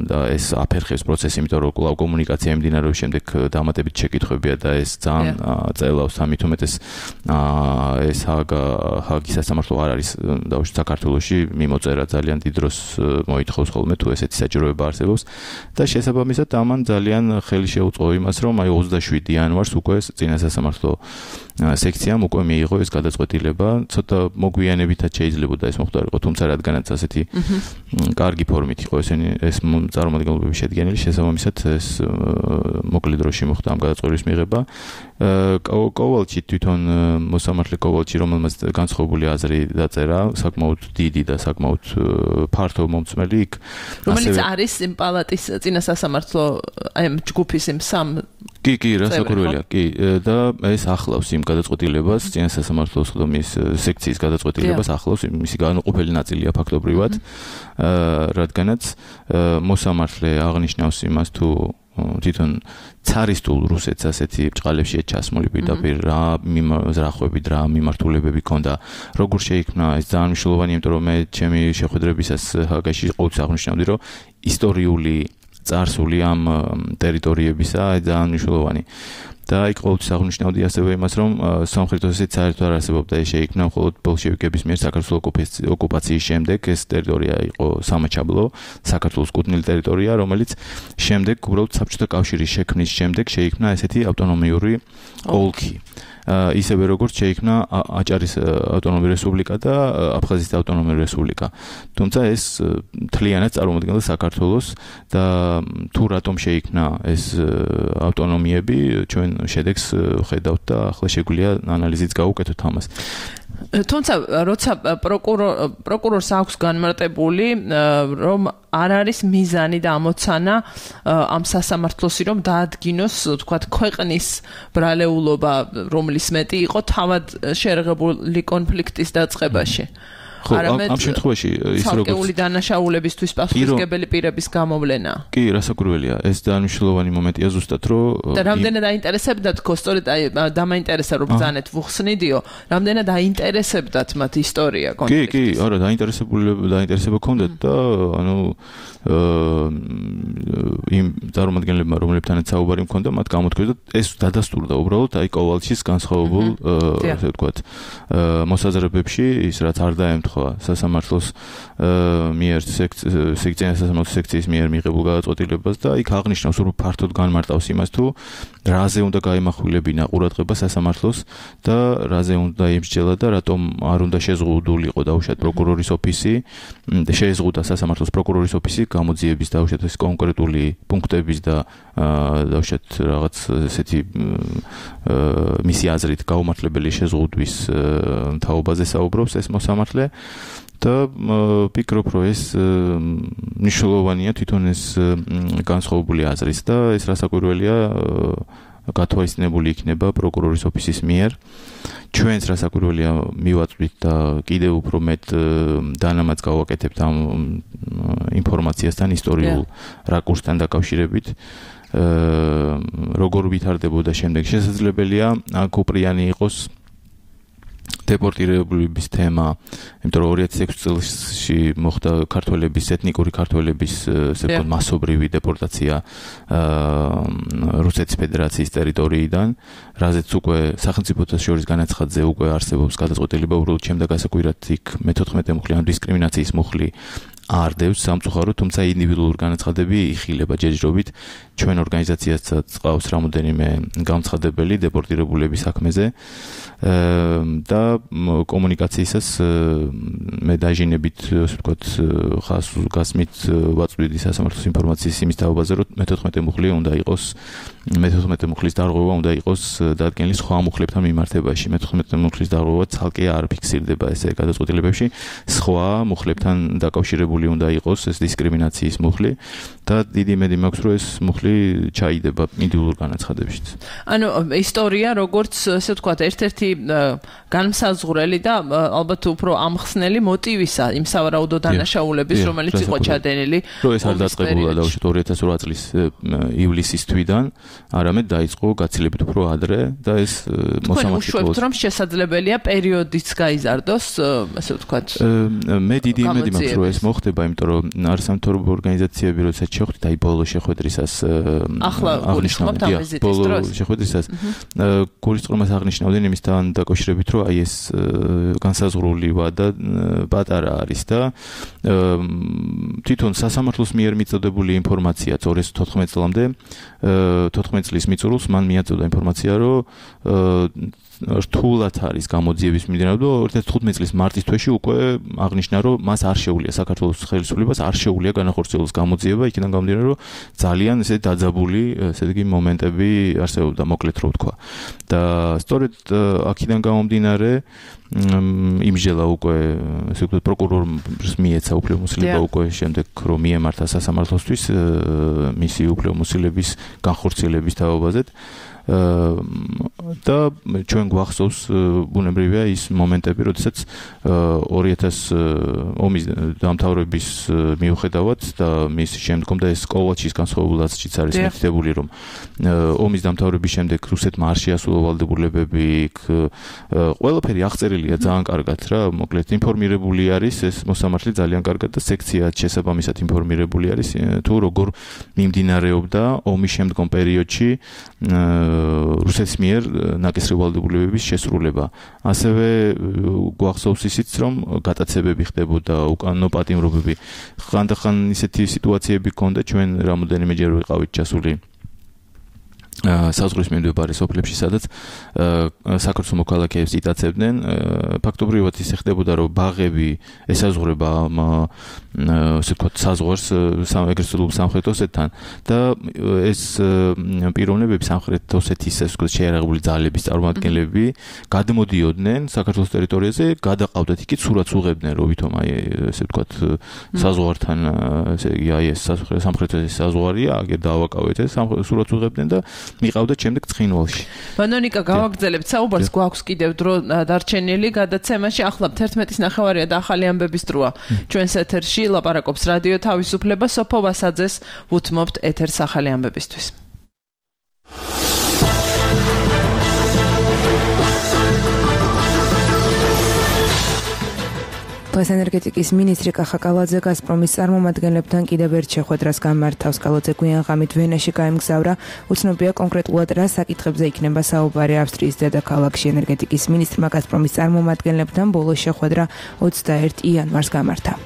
და ეს აფერხებს პროცესს იმიტომ რომ კვლავ კომუნიკაცია მიმდინარეობს შემდეგ დამატებით შეკითხვებია და ეს ძალიან წელავს ამით უმეტეს ეს ჰააგის სასამართლო არ არის დაუშვათ საქართველოში მიმოწერა ძალიან დიდ დროს მოითხოვს ხოლმე თუ ესეთი საჭიროება არსებობს და შესაბამისად ამან ძალიან ხელი შეუწყო იმას რომ აი 27 იანვარს უკვე წინა სასამართლო სექციამ უკვე მიიღო ეს გადაწყვეტილება ცოტა მოგვიანებითაც შეიძლებოდა ეს მოხდარიყო თუმცა რადგანაც ასეთი კარგი ფორმით იყო ეს წარმომადგენლობები შედგენილი შესაბამისად ეს მოკლე დროში მოხდა ამ გადაწყვეტილის მიღება კოვალჩი თვითონ მოსამართლე კოვალჩი რომელმაც განსხვავებული აზრი დაწერა საკმაოდ დიდი და საკმაოდ ფართო მომწმელი იქ რომელიც არის იმ პალატის წინა სასამართლო აი ჯგუფის იმ სამ კი რასაკვირველია კი და ეს ახლავს იმ გადაწყვეტილებას წინა სასამართლოს ხდომის სექციის გადაწყვეტილებას ახლავს მისი განუყოფელი ნაწილია ფაქტობრივად რადგანაც მოსამართლე აღნიშნავს იმას თუ თვითონ ცარისტულ რუსეთს ასეთი ბრჭყალებში ჩასმული პირდაპირ რა ზრახვები რა მიმართულებები ქონდა როგორ შეიქმნა ეს ძალიან მნიშვნელოვანია იმიტომ რომ მე ჩემი შეხვედრებისას ჰაგაში ყოველთვის აღნიშნავდი რომ ისტორიული წარსული ამ ტერიტორიებისა ძალიან მნიშვნელოვანი და იქ ყოველთვის აღნიშნავდი ასევე იმას რომ სამხრეთ ოსეთის საერთოდ არ არსებობდა ეს შეიქმნა მხოლოდ ბოლშევიკების მიერ საქართველოს ოკუპაციის შემდეგ ეს ტერიტორია იყო სამაჩაბლო საქართველოს კუთვნილი ტერიტორია რომელიც შემდეგ უბრალოდ საბჭოთა კავშირის შექმნის შემდეგ შეიქმნა ესეთი ავტონომიური ოლქი ისევე როგორც შეიქმნა აჭარის ავტონომიური რესპუბლიკა და აფხაზეთის ავტონომიური რესპუბლიკა. თუმცა ეს მთლიანად წარმოადგენდა საქართველოს და თუ რატომ შეიქმნა ეს ავტონომიები ჩვენ შედეგს ხედავთ და ახლა შეგვიძლია ანალიზით გავუკეთოთ ამას. თუმცა როცა პროკურორს აქვს განმარტებული რომ არ არის მიზანი და ამოცანა ამ სასამართლოსი რომ დაადგინოს თქვათ ქვეყნის ბრალეულობა რომლის მეტი იყო თავად შერღებული კონფლიქტის დაწყებაში ამ შემთხვევაში ის როგორც საკეული დანაშაულებისთვის პასუხისმგებელი პირების გამოვლენა. კი, რასაკვირველია, ეს დანიშნულოვანი მომენტია ზუსტად რომ და რამდენად დაინტერესებდათ თქო, სწორედ დამაინტერესა რომ ბრძანეთ ვუხსნიდიო, რამდენად დაინტერესებდათ მათ ისტორია კონფლიქტის. კი, არა, დაინტერესება ჰქონდათ და ანუ იმ წარმომადგენლებმა რომლებთანაც საუბარი მქონდა, მათ გამოთქვეს და ეს დადასტურდა უბრალოდ აი კოვალჩის განსხვავებულ ასე ვთქვათ მოსაზრებებში ის რაც არ დაემთხვა სასამართლოს მიერ სექციის სასამართლოს სექციის მიერ მიღებულ გადაწყვეტილებას და იქ აღნიშნავს რომ ფართოდ განმარტავს იმას თუ რაზე უნდა გაემახვილებინა ყურადღება სასამართლოს და რაზე უნდა იმსჯელა და რატომ არ უნდა შეზღუდულიყო დაუშვათ პროკურორის ოფისი შეეზღუდა სასამართლოს პროკურორის ოფისი გამოძიების დაუშვათ ეს კონკრეტული პუნქტების და დაუშვათ რაღაც ესეთი მისი აზრით გაუმართლებელი შეზღუდვის თაობაზე საუბრობს ეს მოსამართლე და ვფიქრობ რომ ეს მნიშვნელოვანია თვითონ ეს განსხვავებული აზრის და ეს რასაკვირველია გათვალისწინებული იქნება პროკურორის ოფისის მიერ ჩვენს რასაკვირველია მივაწვით და კიდევ უფრო მეტ დანამატს გავაკეთებთ ამ ინფორმაციასთან ისტორიულ რაკურსთან დაკავშირებით როგორ ვითარდებოდა შემდეგ შესაძლებელია კუპრიანი იყოს დეპორტირებულების თემა, იმიტომ რომ 2006 წელში მოხდა ქართველების ეთნიკური ქართველების ესე ვთქვათ მასობრივი დეპორტაცია რუსეთის ფედერაციის ტერიტორიიდან, რაზეც უკვე სახელმწიფოთა შორის განაცხადზე უკვე არსებობს გადაწყვეტილება, უბრალოდ ჩემდა გასაკვირად იქ მე-14 მუხლი ან დისკრიმინაციის მუხლი არ დევს სამწუხაროდ, თუმცა ინდივიდუალური განაცხადები იხილება ჯერჯერობით ჩვენ ორგანიზაციასაც ყავს რამოდენიმე გამცხადებელი დეპორტირებულების საქმეზე და კომუნიკაციისას მე დაჟინებით ასე ვთქვათ ხას გასმით ვაწვდიდი სასამართლოს ინფორმაციის იმის თაობაზე რომ მე-14 მუხლი უნდა იყოს მე-14 მუხლის დარღვევა უნდა იყოს დადგენილი სხვა მუხლებთან მიმართებაში მე-14 მუხლის დარღვევა ცალკე არ ფიქსირდება ესე გადაწყვეტილებებში სხვა მუხლებთან დაკავშირებული უნდა იყოს ეს დისკრიმინაციის მუხლი და დიდი იმედი მაქვს რომ ეს მუხლი ჩაიდება ინდივიდუალურ განაცხადებშიც. ანუ ისტორია როგორც ასე ვთქვათ ერთ-ერთი განმსაზღვრელი და ალბათ უფრო ამხსნელი მოტივისა იმ სავარაუდო დანაშაულების რომელიც იყო ჩადენილი რომ ეს არ დაწყებულა დაუშვათ 2008 წლის ივლისის თვიდან არამედ დაიწყო გაცილებით უფრო ადრე და ეს მოსამართლე უშვებთ რომ შესაძლებელია პერიოდიც გაიზარდოს ასე ვთქვათ მე დიდი იმედი მაქვს რომ ეს მოხდება იმიტომ რომ არასამთავრობო ორგანიზაციები როდესაც შეხვდით აი ბოლო შეხვედრისას ახლა გულისხმობთ ამ ვიზიტის დროს ბოლო შეხვედრისას გულისხმობას აღნიშნავდნენ იმისთან დაკავშირებით რომ აი ეს განსაზღვრული ვადა პატარა არის და თვითონ სასამართლოს მიერ მიწოდებული ინფორმაცია 2014 წლამდე 14 წლის მიწურულს მან მიაწოდა ინფორმაცია რომ რთულად არის გამოძიების მიმდინარეობა 2015 წლის მარტის თვეში უკვე აღნიშნა რომ მას არ შეუძლია საქართველოს ხელისუფლებას არ შეუძლია განახორციელოს გამოძიება იქიდან გამომდინარე რომ ძალიან ესე დაძაბული ესე იგი მომენტები არსებობდა მოკლედ რო ვთქვა და სწორედ აქედან გამომდინარე იმჟელა უკვე ესე ვთქვათ პროკურორს მიეცა უფლებამოსილება უკვე შემდეგ რომ მიემართა სასამართლოსთვის მისი უფლებამოსილების განხორციელების თაობაზე და ჩვენ გვახსოვს ბუნებრივია ის მომენტები, როდესაც 2000 ომის დამთავრების მიუხედავად და მის შემდგომ და ეს კოლაჩის განსხვავებულადაც არის მითითებული, რომ ომის დამთავრების შემდეგ რუსეთმა არ შეასრულა ვალდებულებები, ყველაფერი აღწერილია ძალიან კარგად რა, მოკლედ ინფორმირებული არის ეს მოსამართლე ძალიან კარგად და სექცია შესაბამისად ინფორმირებული არის თუ როგორ მიმდინარეობდა ომის შემდგომ პერიოდში რუსეთის მიერ ნაკისრი ვალდებულებების შესრულება. ასევე გვახსოვს ისიც, რომ გატაცებები ხდებოდა, უკანონო პატიმრობები. ხანდახან ისეთი სიტუაციები ჰქონდა, ჩვენ რამოდენიმეჯერ ვიყავით ჩასული საზღვრის მიმდებარე სოფლებში, სადაც საქართველოს მოქალაქეებს იტაცებდნენ. ფაქტობრივად ისე ხდებოდა, რომ ბაღები ესაზღვრება ასე ვთქვათ საზღვარს ეგრეთ წოდებული სამხრეთ ოსეთთან და ეს პიროვნებები სამხრეთ ოსეთის ასე ვთქვათ შეიარაღებული ძალების წარმომადგენლები გადმოდიოდნენ საქართველოს ტერიტორიაზე, გადაყავდათ იქით სურათს უღებდნენ, რომ ვითომ აი ასე ვთქვათ საზღვართან ესე იგი აი ეს სამხრეთ ოსეთის საზღვარია, აგერ დავაკავეთ ეს სურათს უღებდნენ და მიყავდათ შემდეგ ცხინვალში. ბანონიკა გავაგრძელებთ საუბარს, გვაქვს კიდევ დრო დარჩენილი გადაცემაში. ახლა 11:09 და ახალი ამბების დროა. ჩვენს ეთერში ლაპარაკობს რადიო თავისუფლება, სოფო ვასაძეს უთმობთ ეთერს ახალი ამბებისთვის. ენერგეტიკის მინისტრი კახა კალაძე გაზპრომის წარმომადგენლებთან კიდევ ერთ შეხვედრას გამართავს. კალაძე გვიან ღამით ვენაში გაემგზავრა. უცნობია კონკრეტულად რა საკითხებზე იქნება საუბარი ავსტრიის დედაქალაქში. ენერგეტიკის მინისტრმა გაზპრომის წარმომადგენლებთან ბოლო შეხვედრა 21 იანვარს გამართა.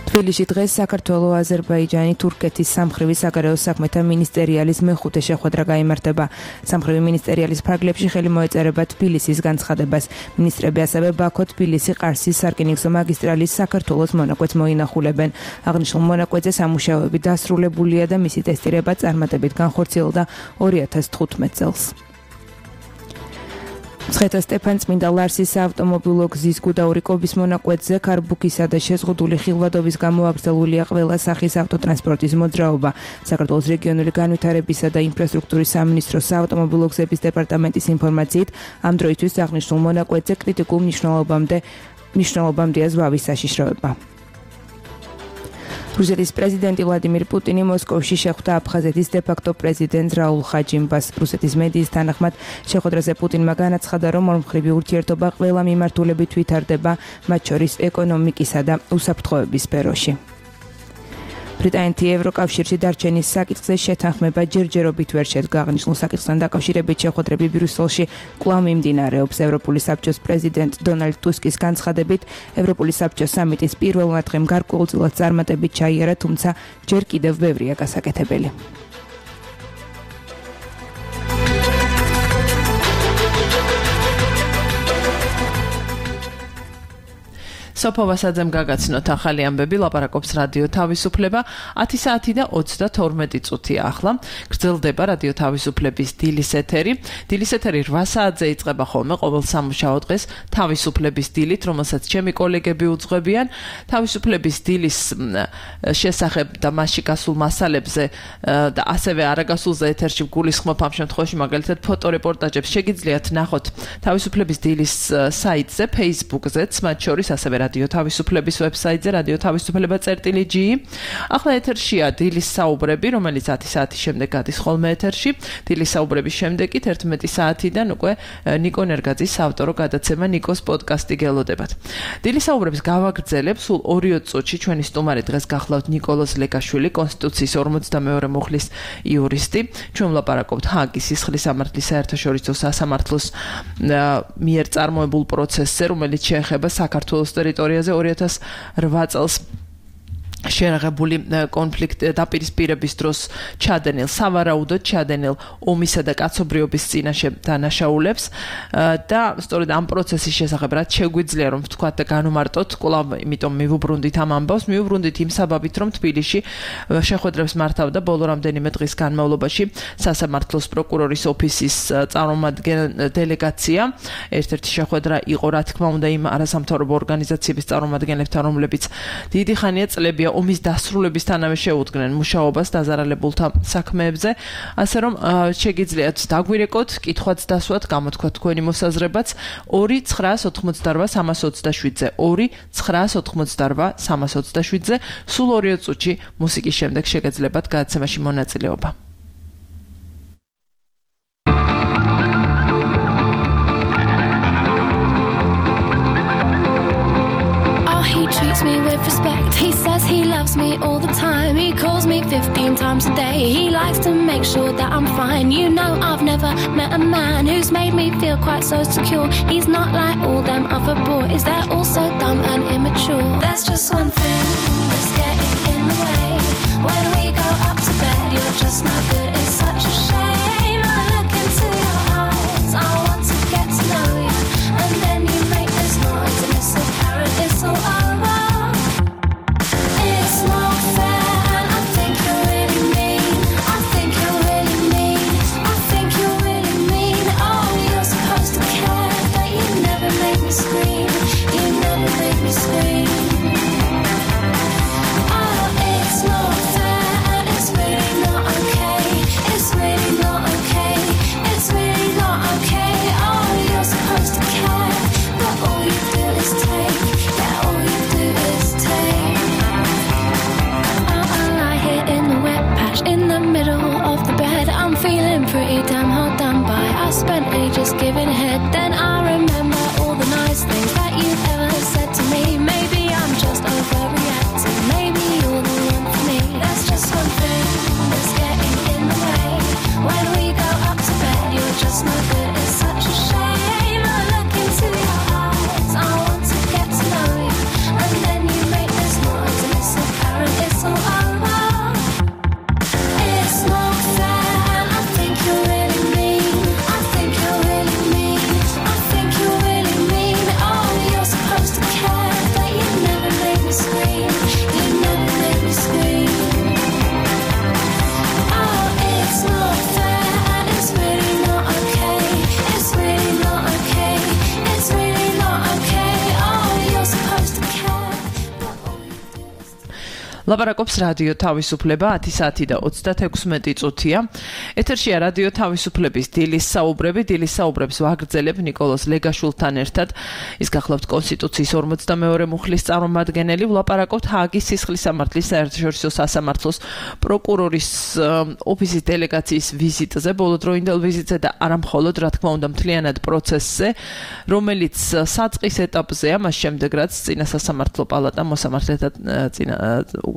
თბილისში დღეს საქართველოს, აზერბაიჯანი, თურქეთის სამხრივი საგარეო საქმეთა მინისტერიალის მეხუთე შეხვედრა გაიმართება. სამხრივი მინისტერიალის ფარგლებში ხელი მოეწერება თბილისის განცხადებას. მინისტრები ასევე ბაქო, თბილისი, ყარსის სარკინიგზო მაგისტრალის საქართველოს მონაკვეთს მოინახულებენ. აღნიშნულ მონაკვეთზე სამუშაოები დასრულებულია და მისი ტესტირება წარმატებით განხორციელდა 2015 წელს. მცხეთა სტეფანწმინდა ლარსის საავტომობილო გზის გუდაური-კობის მონაკვეთზე ქარბუქისა და შეზღუდული ხილვადობის გამო აკრძალულია ყველა სახის ავტოტრანსპორტის მოძრაობა. საქართველოს რეგიონული განვითარებისა და ინფრასტრუქტურის სამინისტროს საავტომობილო გზების დეპარტამენტის ინფორმაციით, ამ დროისთვის აღნიშნულ მონაკვეთზე კრიტიკულ მნიშვნელობამდეა ზვავის საშიშროება. რუსეთის პრეზიდენტი ვლადიმირ პუტინი მოსკოვში შეხვდა აფხაზეთის დე-ფაქტო პრეზიდენტ რაულ ხაჯიმბას. რუსეთის მედიის თანახმად შეხვედრაზე პუტინმა განაცხადა, რომ ორმხრივი ურთიერთობა ყველა მიმართულებით ვითარდება, მათ შორის ეკონომიკისა და უსაფრთხოების სფეროში. ბრიტანეთი ევროკავშირში დარჩენის საკითხზე შეთანხმება ჯერჯერობით ვერ შედგა. აღნიშნულ საკითხთან დაკავშირებით შეხვედრები ბრიუსელში კვლავ მიმდინარეობს. ევროპული საბჭოს პრეზიდენტ დონალდ ტუსკის განცხადებით, ევროპული საბჭოს სამიტის პირველმა დღემ გარკვეულწილად წარმატებით ჩაიარა, თუმცა ჯერ კიდევ ბევრია გასაკეთებელი. სოფო ვასაძემ გაგაცნოთ ახალი ამბები, ლაპარაკობს რადიო თავისუფლება. 10 საათი და 32 წუთია ახლა. გრძელდება რადიო თავისუფლების დილის ეთერი. დილის ეთერი 8 საათზე იწყება ხოლმე ყოველ სამუშაო დღეს თავისუფლების დილით, რომელსაც ჩემი კოლეგები უძღვებიან. თავისუფლების დილის შესახებ და მასში გასულ მასალებზე და ასევე არაგასულზე ეთერში გულისხმობ ამ შემთხვევაში მაგალითად ფოტორეპორტაჟებს შეგიძლიათ ნახოთ თავისუფლების დილის საიტზე, Facebook-ზეც, მათ შორის ასევე რადიო თავისუფლების ვებსაიტზე radioთავისუფლება.gi. ახლა ეთერშია დილის საუბრები, რომელიც 10 საათის შემდეგ გადის ხოლმე ეთერში. დილის საუბრების შემდეგ 11 საათიდან უკვე ნიკო ნერგაძის ავტორო გადაცემა ნიკოს პოდკასტი გელოდებათ. დილის საუბრებს გავაგრძელებ სულ 2 წუთში. ჩვენი სტუმარი დღეს გახლავთ ნიკოლოზ ლეკაშვილი, კონსტიტუციის 42 მუხლის იურისტი. ჩვენ ვლაპარაკობთ ჰააგის სისხლის სამართლის საერთაშორისო სასამართლოს მიერ წარმოებულ პროცესზე, რომელიც შეეხება საქართველოს ტერიტორიაზე 2008 წელს შეერაღებული კონფლიქტ დაპირისპირების დროს ჩადენილ, სავარაუდოდ ჩადენილ ომისა და კაცობრიობის წინაშე დანაშაულებს და სწორედ ამ პროცესის შესახებ რაც შეგვიძლია რომ ვთქვათ და განვმარტოთ, კვლავ იმიტომ მივუბრუნდით ამ ამბავს, მივუბრუნდით იმ საბაბით, რომ თბილისში შეხვედრებს მართავდა ბოლო რამდენიმე დღის განმავლობაში სასამართლოს პროკურორის ოფისის წარმომადგენელი დელეგაცია. ერთ-ერთი შეხვედრა იყო, რა თქმა უნდა, იმ არასამთავრობო ორგანიზაციების წარმომადგენლებთან, რომლებიც დიდი ხანია წლებია შეუძლია ომის დასრულებისთანავე შეუდგნენ მუშაობას დაზარალებულთა საქმეებზე, ასე რომ შეგიძლიათ დაგვირეკოთ, კითხვაც დასვათ, გამოთქვათ თქვენი მოსაზრებაც 2-988-327-ზე 2-988-327-ზე სულ 2 წუთში მუსიკის შემდეგ შეგეძლებათ გადაცემაში მონაწილეობა. Treats me with respect. He says he loves me all the time. He calls me 15 times a day. He likes to make sure that I'm fine. You know I've never met a man who's made me feel quite so secure. He's not like all them other boys. They're all so dumb and immature. There's just one thing that's getting in the way. When we go up to bed, you're just not good. It's such a shame. I look into your eyes. I want to get to know you, and then you make this noise, and it's apparent it's all over. Pretty damn hard done by. I spent ages giving head. Then I remember all the nice things that you've ever said to me. Maybe I'm just overreacting. Maybe you're the one for me. There's just one thing that's getting in the way. When we go up to bed, you're just no good. It's such a shame. I look into your eyes. I want to get to know you, and then you make this noise, and it's apparent it's all over. It's not fair. ლაპარაკობს რადიო თავისუფლება 10 საათი და 36 წუთია. ეთერშია რადიო თავისუფლების დილის საუბრები. დილის საუბრებს ვაგრძელებ ნიკოლოზ ლეგაშვილთან ერთად. ის გახლავთ კონსტიტუციის 42 მუხლის წარმომადგენელი. ვლაპარაკობთ ჰააგის სისხლის სამართლის საერთაშორისო სასამართლოს პროკურორის ოფისის დელეგაციის ვიზიტზე, ბოლოდროინდელ ვიზიტზე და არამხოლოდ, რა თქმა უნდა, მთლიანად პროცესზე, რომელიც საწყის ეტაპზეა, მას შემდეგ რაც წინა სასამართლო პალატა მოსამართლეთა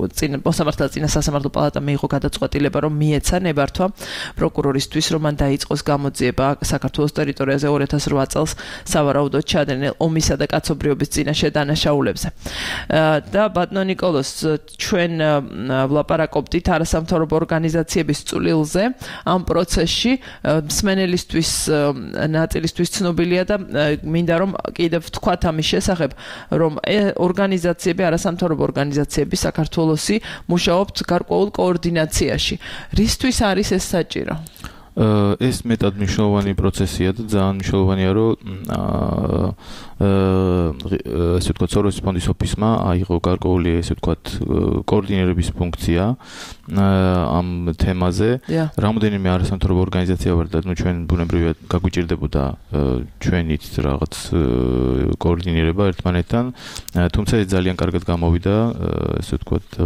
წინა სასამართლო პალატა მიიღო გადაწყვეტილება, რომ მიეცა ნებართვა პროკურორისთვის, რომ მან დაიწყოს გამოძიება საქართველოს ტერიტორიაზე 2008 წელს სავარაუდოდ ჩადენილ ომისა და კაცობრიობის წინაშე დანაშაულებზე. და ბატონო ნიკოლოზ, ჩვენ ვლაპარაკობდით არასამთავრობო ორგანიზაციების წვლილზე ამ პროცესში, მსმენელისთვის ნაწილისთვის ცნობილია და მინდა რომ კიდევ ვთქვათ ამის შესახებ, რომ ორგანიზაციები, არასამთავრობო ორგანიზაციები საქართველოსი მუშაობთ გარკვეულ კოორდინაციაში. რისთვის არის ეს საჭირო? ეს მეტად მნიშვნელოვანი პროცესია და ძალიან მნიშვნელოვანია, რომ ესე ვთქვათ, სოროსის ფონდის ოფისმა აიღო გარკვეული, ესე ვთქვათ, კოორდინირების ფუნქცია ამ თემაზე. რამოდენიმე არასამთავრობო ორგანიზაცია ვარ და ჩვენ ბუნებრივად გაგვიჭირდებოდა ჩვენით რაღაც კოორდინირება ერთმანეთთან, თუმცა ეს ძალიან კარგად გამოვიდა, ესე ვთქვათ,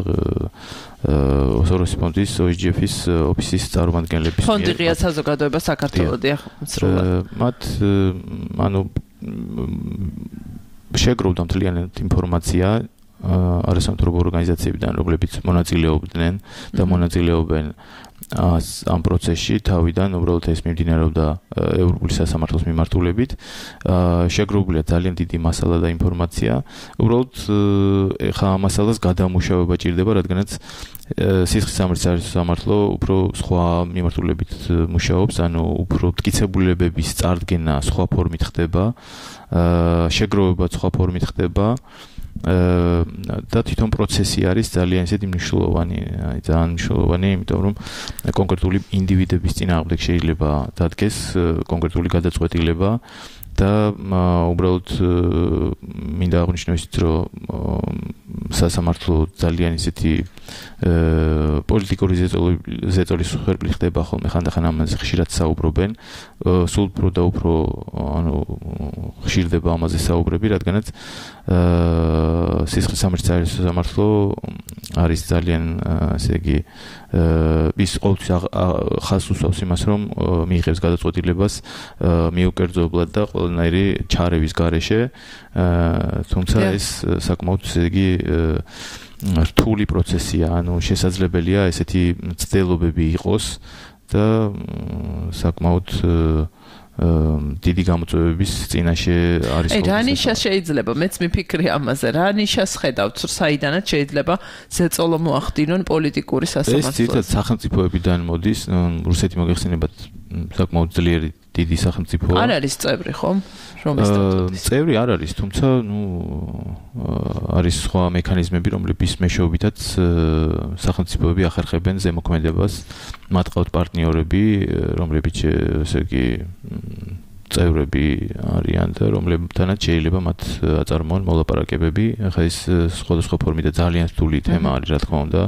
სოროსის ფონდის OSGF-ის ოფისის წარმომადგენლების მიერ. ფონდი ღია საზოგადოება საქართველოდია მსრულად. მათ ანუ შეგროვდა მთლიანად ინფორმაცია არასამთავრობო ორგანიზაციებიდან, რომლებიც მონაწილეობდნენ და მონაწილეობენ ამ პროცესში თავიდან, უბრალოდ ეს მიმდინარეობდა ევროპული სასამართლოს მიმართულებით. შეგროვებულია ძალიან დიდი მასალა და ინფორმაცია. უბრალოდ ეხლა ამ მასალას გადამუშავება ჭირდება, რადგანაც სისხლის სამართლის სამართლო უფრო სხვა მიმართულებით მუშაობს, ანუ უფრო მტკიცებულებების წარდგენა სხვა ფორმით ხდება, შეგროვება სხვა ფორმით ხდება. და თვითონ პროცესი არის ძალიან ისეთი მნიშვნელოვანი, ძალიან მნიშვნელოვანი, იმიტომ რომ კონკრეტული ინდივიდების წინააღმდეგ შეიძლება დადგეს კონკრეტული გადაწყვეტილება და უბრალოდ მინდა აღნიშნო ისიც, რომ სასამართლო ძალიან ისეთი პოლიტიკური ზეწოლის ხერხი ხდება ხოლმე, ხანდახან ამაზე ხშირად საუბრობენ, სულ უფრო და უფრო ხშირდება ამაზე საუბრები, რადგანაც სისხლის სამართლის სასამართლო არის ძალიან, ასე იგი, ის ყოველთვის ხაზს უსვამს იმას, რომ მიიღებს გადაწყვეტილებას მიუკერძოებლად და ყველანაირი ჩარევის გარეშე, თუმცა ეს საკმაოდ, ესე იგი, რთული პროცესია, ანუ შესაძლებელია ესეთი მცდელობები იყოს და საკმაოდ დიდი გამოწვევების წინაშე არის. რა ნიშას შეიძლება, მეც მიფიქრე ამაზე, რა ნიშას ხედავთ, საიდანაც შეიძლება ზეწოლო მოახდინონ პოლიტიკური სასამართლოს? ეს თვითონ სახელმწიფოებიდან მოდის, რუსეთი მოგეხსენებათ საკმაოდ ძლიერი დიდი სახელმწიფო. არ არის წევრი, ხო? რომის სტატუტის? წევრი არ არის, თუმცა, არის სხვა მექანიზმები, რომლებიც მეშვეობითაც სახელმწიფოები ახერხებენ ზემოქმედებას, მათ ყავთ პარტნიორები, რომლებიც, ესე იგი, წევრები არიან და რომლებთანაც შეიძლება მათ აწარმოონ მოლაპარაკებები. ახლა ეს სხვადასხვა ფორმით და ძალიან რთული თემა არის, რა თქმა უნდა.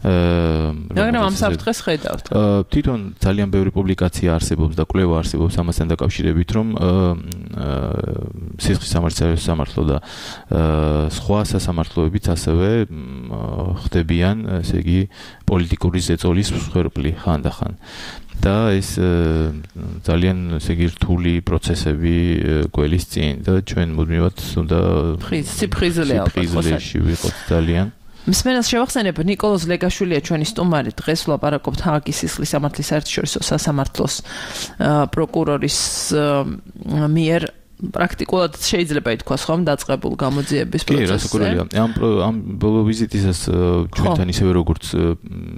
მაგრამ ამ საფრთხეს ხედავთ. თვითონ ძალიან ბევრი პუბლიკაცია არსებობს და კვლევა არსებობს ამასთან დაკავშირებით, რომ სისხლის სამართლის სასამართლო და სხვა სასამართლოებიც ასევე ხდებიან, ესე იგი, პოლიტიკური ზეწოლის მსხვერპლი ხანდახან. და ეს ძალიან, ესე იგი, რთული პროცესები გველის წინ და ჩვენ მუდმივად უნდა სიფხიზლე ვიყოთ ძალიან. მსმენელს შევახსენებ, ნიკოლოზ ლეგაშვილია ჩვენი სტუმარი. დღეს ვლაპარაკობთ ჰააგის სისხლის სამართლის საერთაშორისო სასამართლოს პროკურორის მიერ პრაქტიკულად შეიძლება ითქვას, ხომ, დაწყებულ გამოძიების პროცესზე. კი, რასაკურველია. ამ ბოლო ვიზიტისას ჩვენთან ისევე როგორც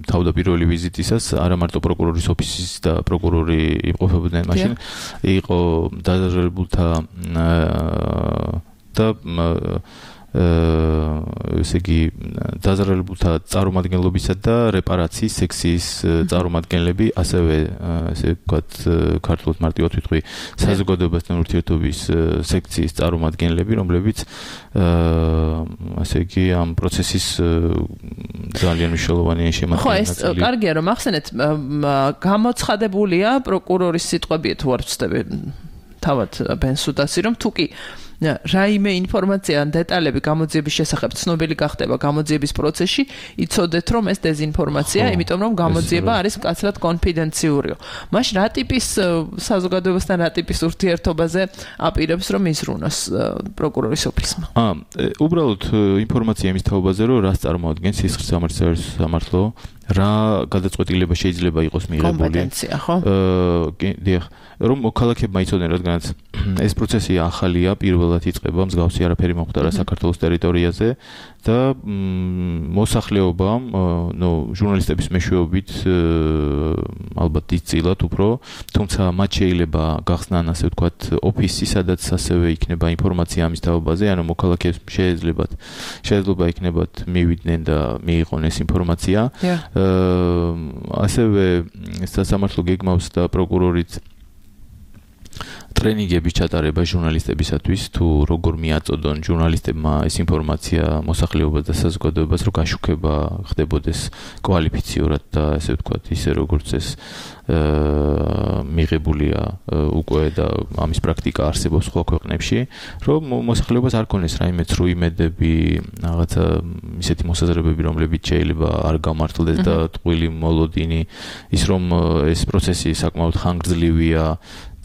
თავდაპირველი ვიზიტისას, არა მარტო პროკურორის ოფისის და პროკურორი იმყოფებოდნენ მაშინ, იყო დაზარალებულთა და ესე იგი, დაზარალებულთა წარმომადგენლობისა და რეპარაციის სექციის წარმომადგენლები, ასევე, ესე ვთქვათ, ქართულად მარტივად ვიტყვი, საზოგადოებასთან ურთიერთობის სექციის წარმომადგენლები, რომლებიც, ასე იგი, ამ პროცესის ძალიან მნიშვნელოვანი შემადგენელი. ხო, ეს კარგია, რომ ახსენეთ, გამოცხადებულია პროკურორის სიტყვები, თუ არ ვცდები, თავად ბენსუდასი, რომ თუ კი რაიმე ინფორმაცია ან დეტალები გამოძიების შესახებ ცნობილი გახდება გამოძიების პროცესში, იცოდეთ, რომ ეს დეზინფორმაცია, იმიტომ რომ გამოძიება არის მკაცრად კონფიდენციურიო. მაშინ რა ტიპის საზოგადოებასთან რა ტიპის ურთიერთობაზე აპირებს, რომ იზრუნოს პროკურორის ოფისმა? უბრალოდ ინფორმაცია იმის თაობაზე, რომ რას წარმოადგენს სისხლის სამართლის სასამართლო, რა გადაწყვეტილება შეიძლება იყოს მიღებული. კომპეტენცია, ხო? დიახ, რომ მოქალაქეებმა იცოდნენ, რადგანაც ეს პროცესი ახალია, პირველად იწყება, მსგავსი არაფერი მომხდარა საქართველოს ტერიტორიაზე და მოსახლეობამ, ჟურნალისტების მეშვეობით ალბათ იცილათ უფრო, თუმცა მათ შეიძლება გახსნან, ასე ვთქვათ, ოფისი, სადაც ასევე იქნება ინფორმაცია ამის თაობაზე, ანუ მოქალაქეებს შეიძლება იქნებათ მივიდნენ და მიიღონ ეს ინფორმაცია. ასევე სასამართლო გეგმავს და პროკურორიც ტრენინგების ჩატარება ჟურნალისტებისათვის, თუ როგორ მიაწოდონ ჟურნალისტებმა ეს ინფორმაცია მოსახლეობას და საზოგადოებას, რომ გაშუქება ხდებოდეს კვალიფიციურად და ასე ვთქვათ, ისე როგორც ეს მიღებულია უკვე და ამის პრაქტიკა არსებობს სხვა ქვეყნებში, რომ მოსახლეობას არ ქონდეს რაიმე ცრუ იმედები, რაღაცა ისეთი მოსაზრებები, რომლებიც შეიძლება არ გამართლდეს და ტყუილი მოლოდინი, ის რომ ეს პროცესი საკმაოდ ხანგრძლივია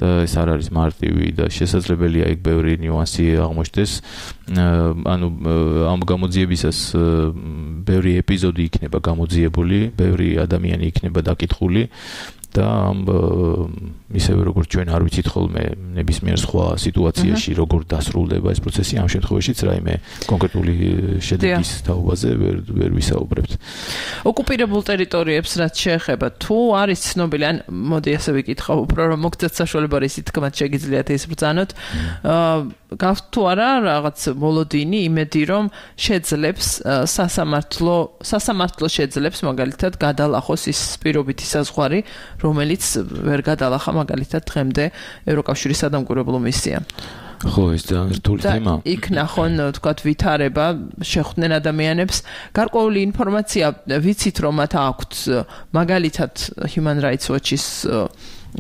და ეს არ არის მარტივი და შესაძლებელია იქ ბევრი ნიუანსი აღმოჩნდეს. ანუ ამ გამოძიებისას ბევრი ეპიზოდი იქნება გამოძიებული, ბევრი ადამიანი იქნება დაკითხული და ისევე როგორც ჩვენ არ ვიცით ხოლმე ნებისმიერ სხვა სიტუაციაში როგორ დასრულდება ეს პროცესი, ამ შემთხვევაშიც რაიმე კონკრეტული შედეგის თაობაზე ვერ ვისაუბრებთ. ოკუპირებულ ტერიტორიებს რაც შეეხება, თუ არის ცნობილი, ან მოდი ასე ვიკითხავ, უფრო რომ მოგცეთ საშუალება ისიც თქმათ შეგიძლიათ ეს ბრძანოთ, გავთ თუ არა რაღაც მოლოდინი, იმედი რომ შეძლებს სასამართლო შეძლებს მაგალითად გადალახოს ის პირობითი საზღვარი, რომელიც ვერ გადალახა მაგალითად დღემდე ევროკავშირის სადამკვირვებლო მისია. ხო, ეს ძალიან რთული თემა. იქ ნახონ, თქვათ, ვითარება, შეხვდნენ ადამიანებს. გარკვეული ინფორმაცია ვიცით, რომ მათ აქვთ მაგალითად Human Rights Watch-ის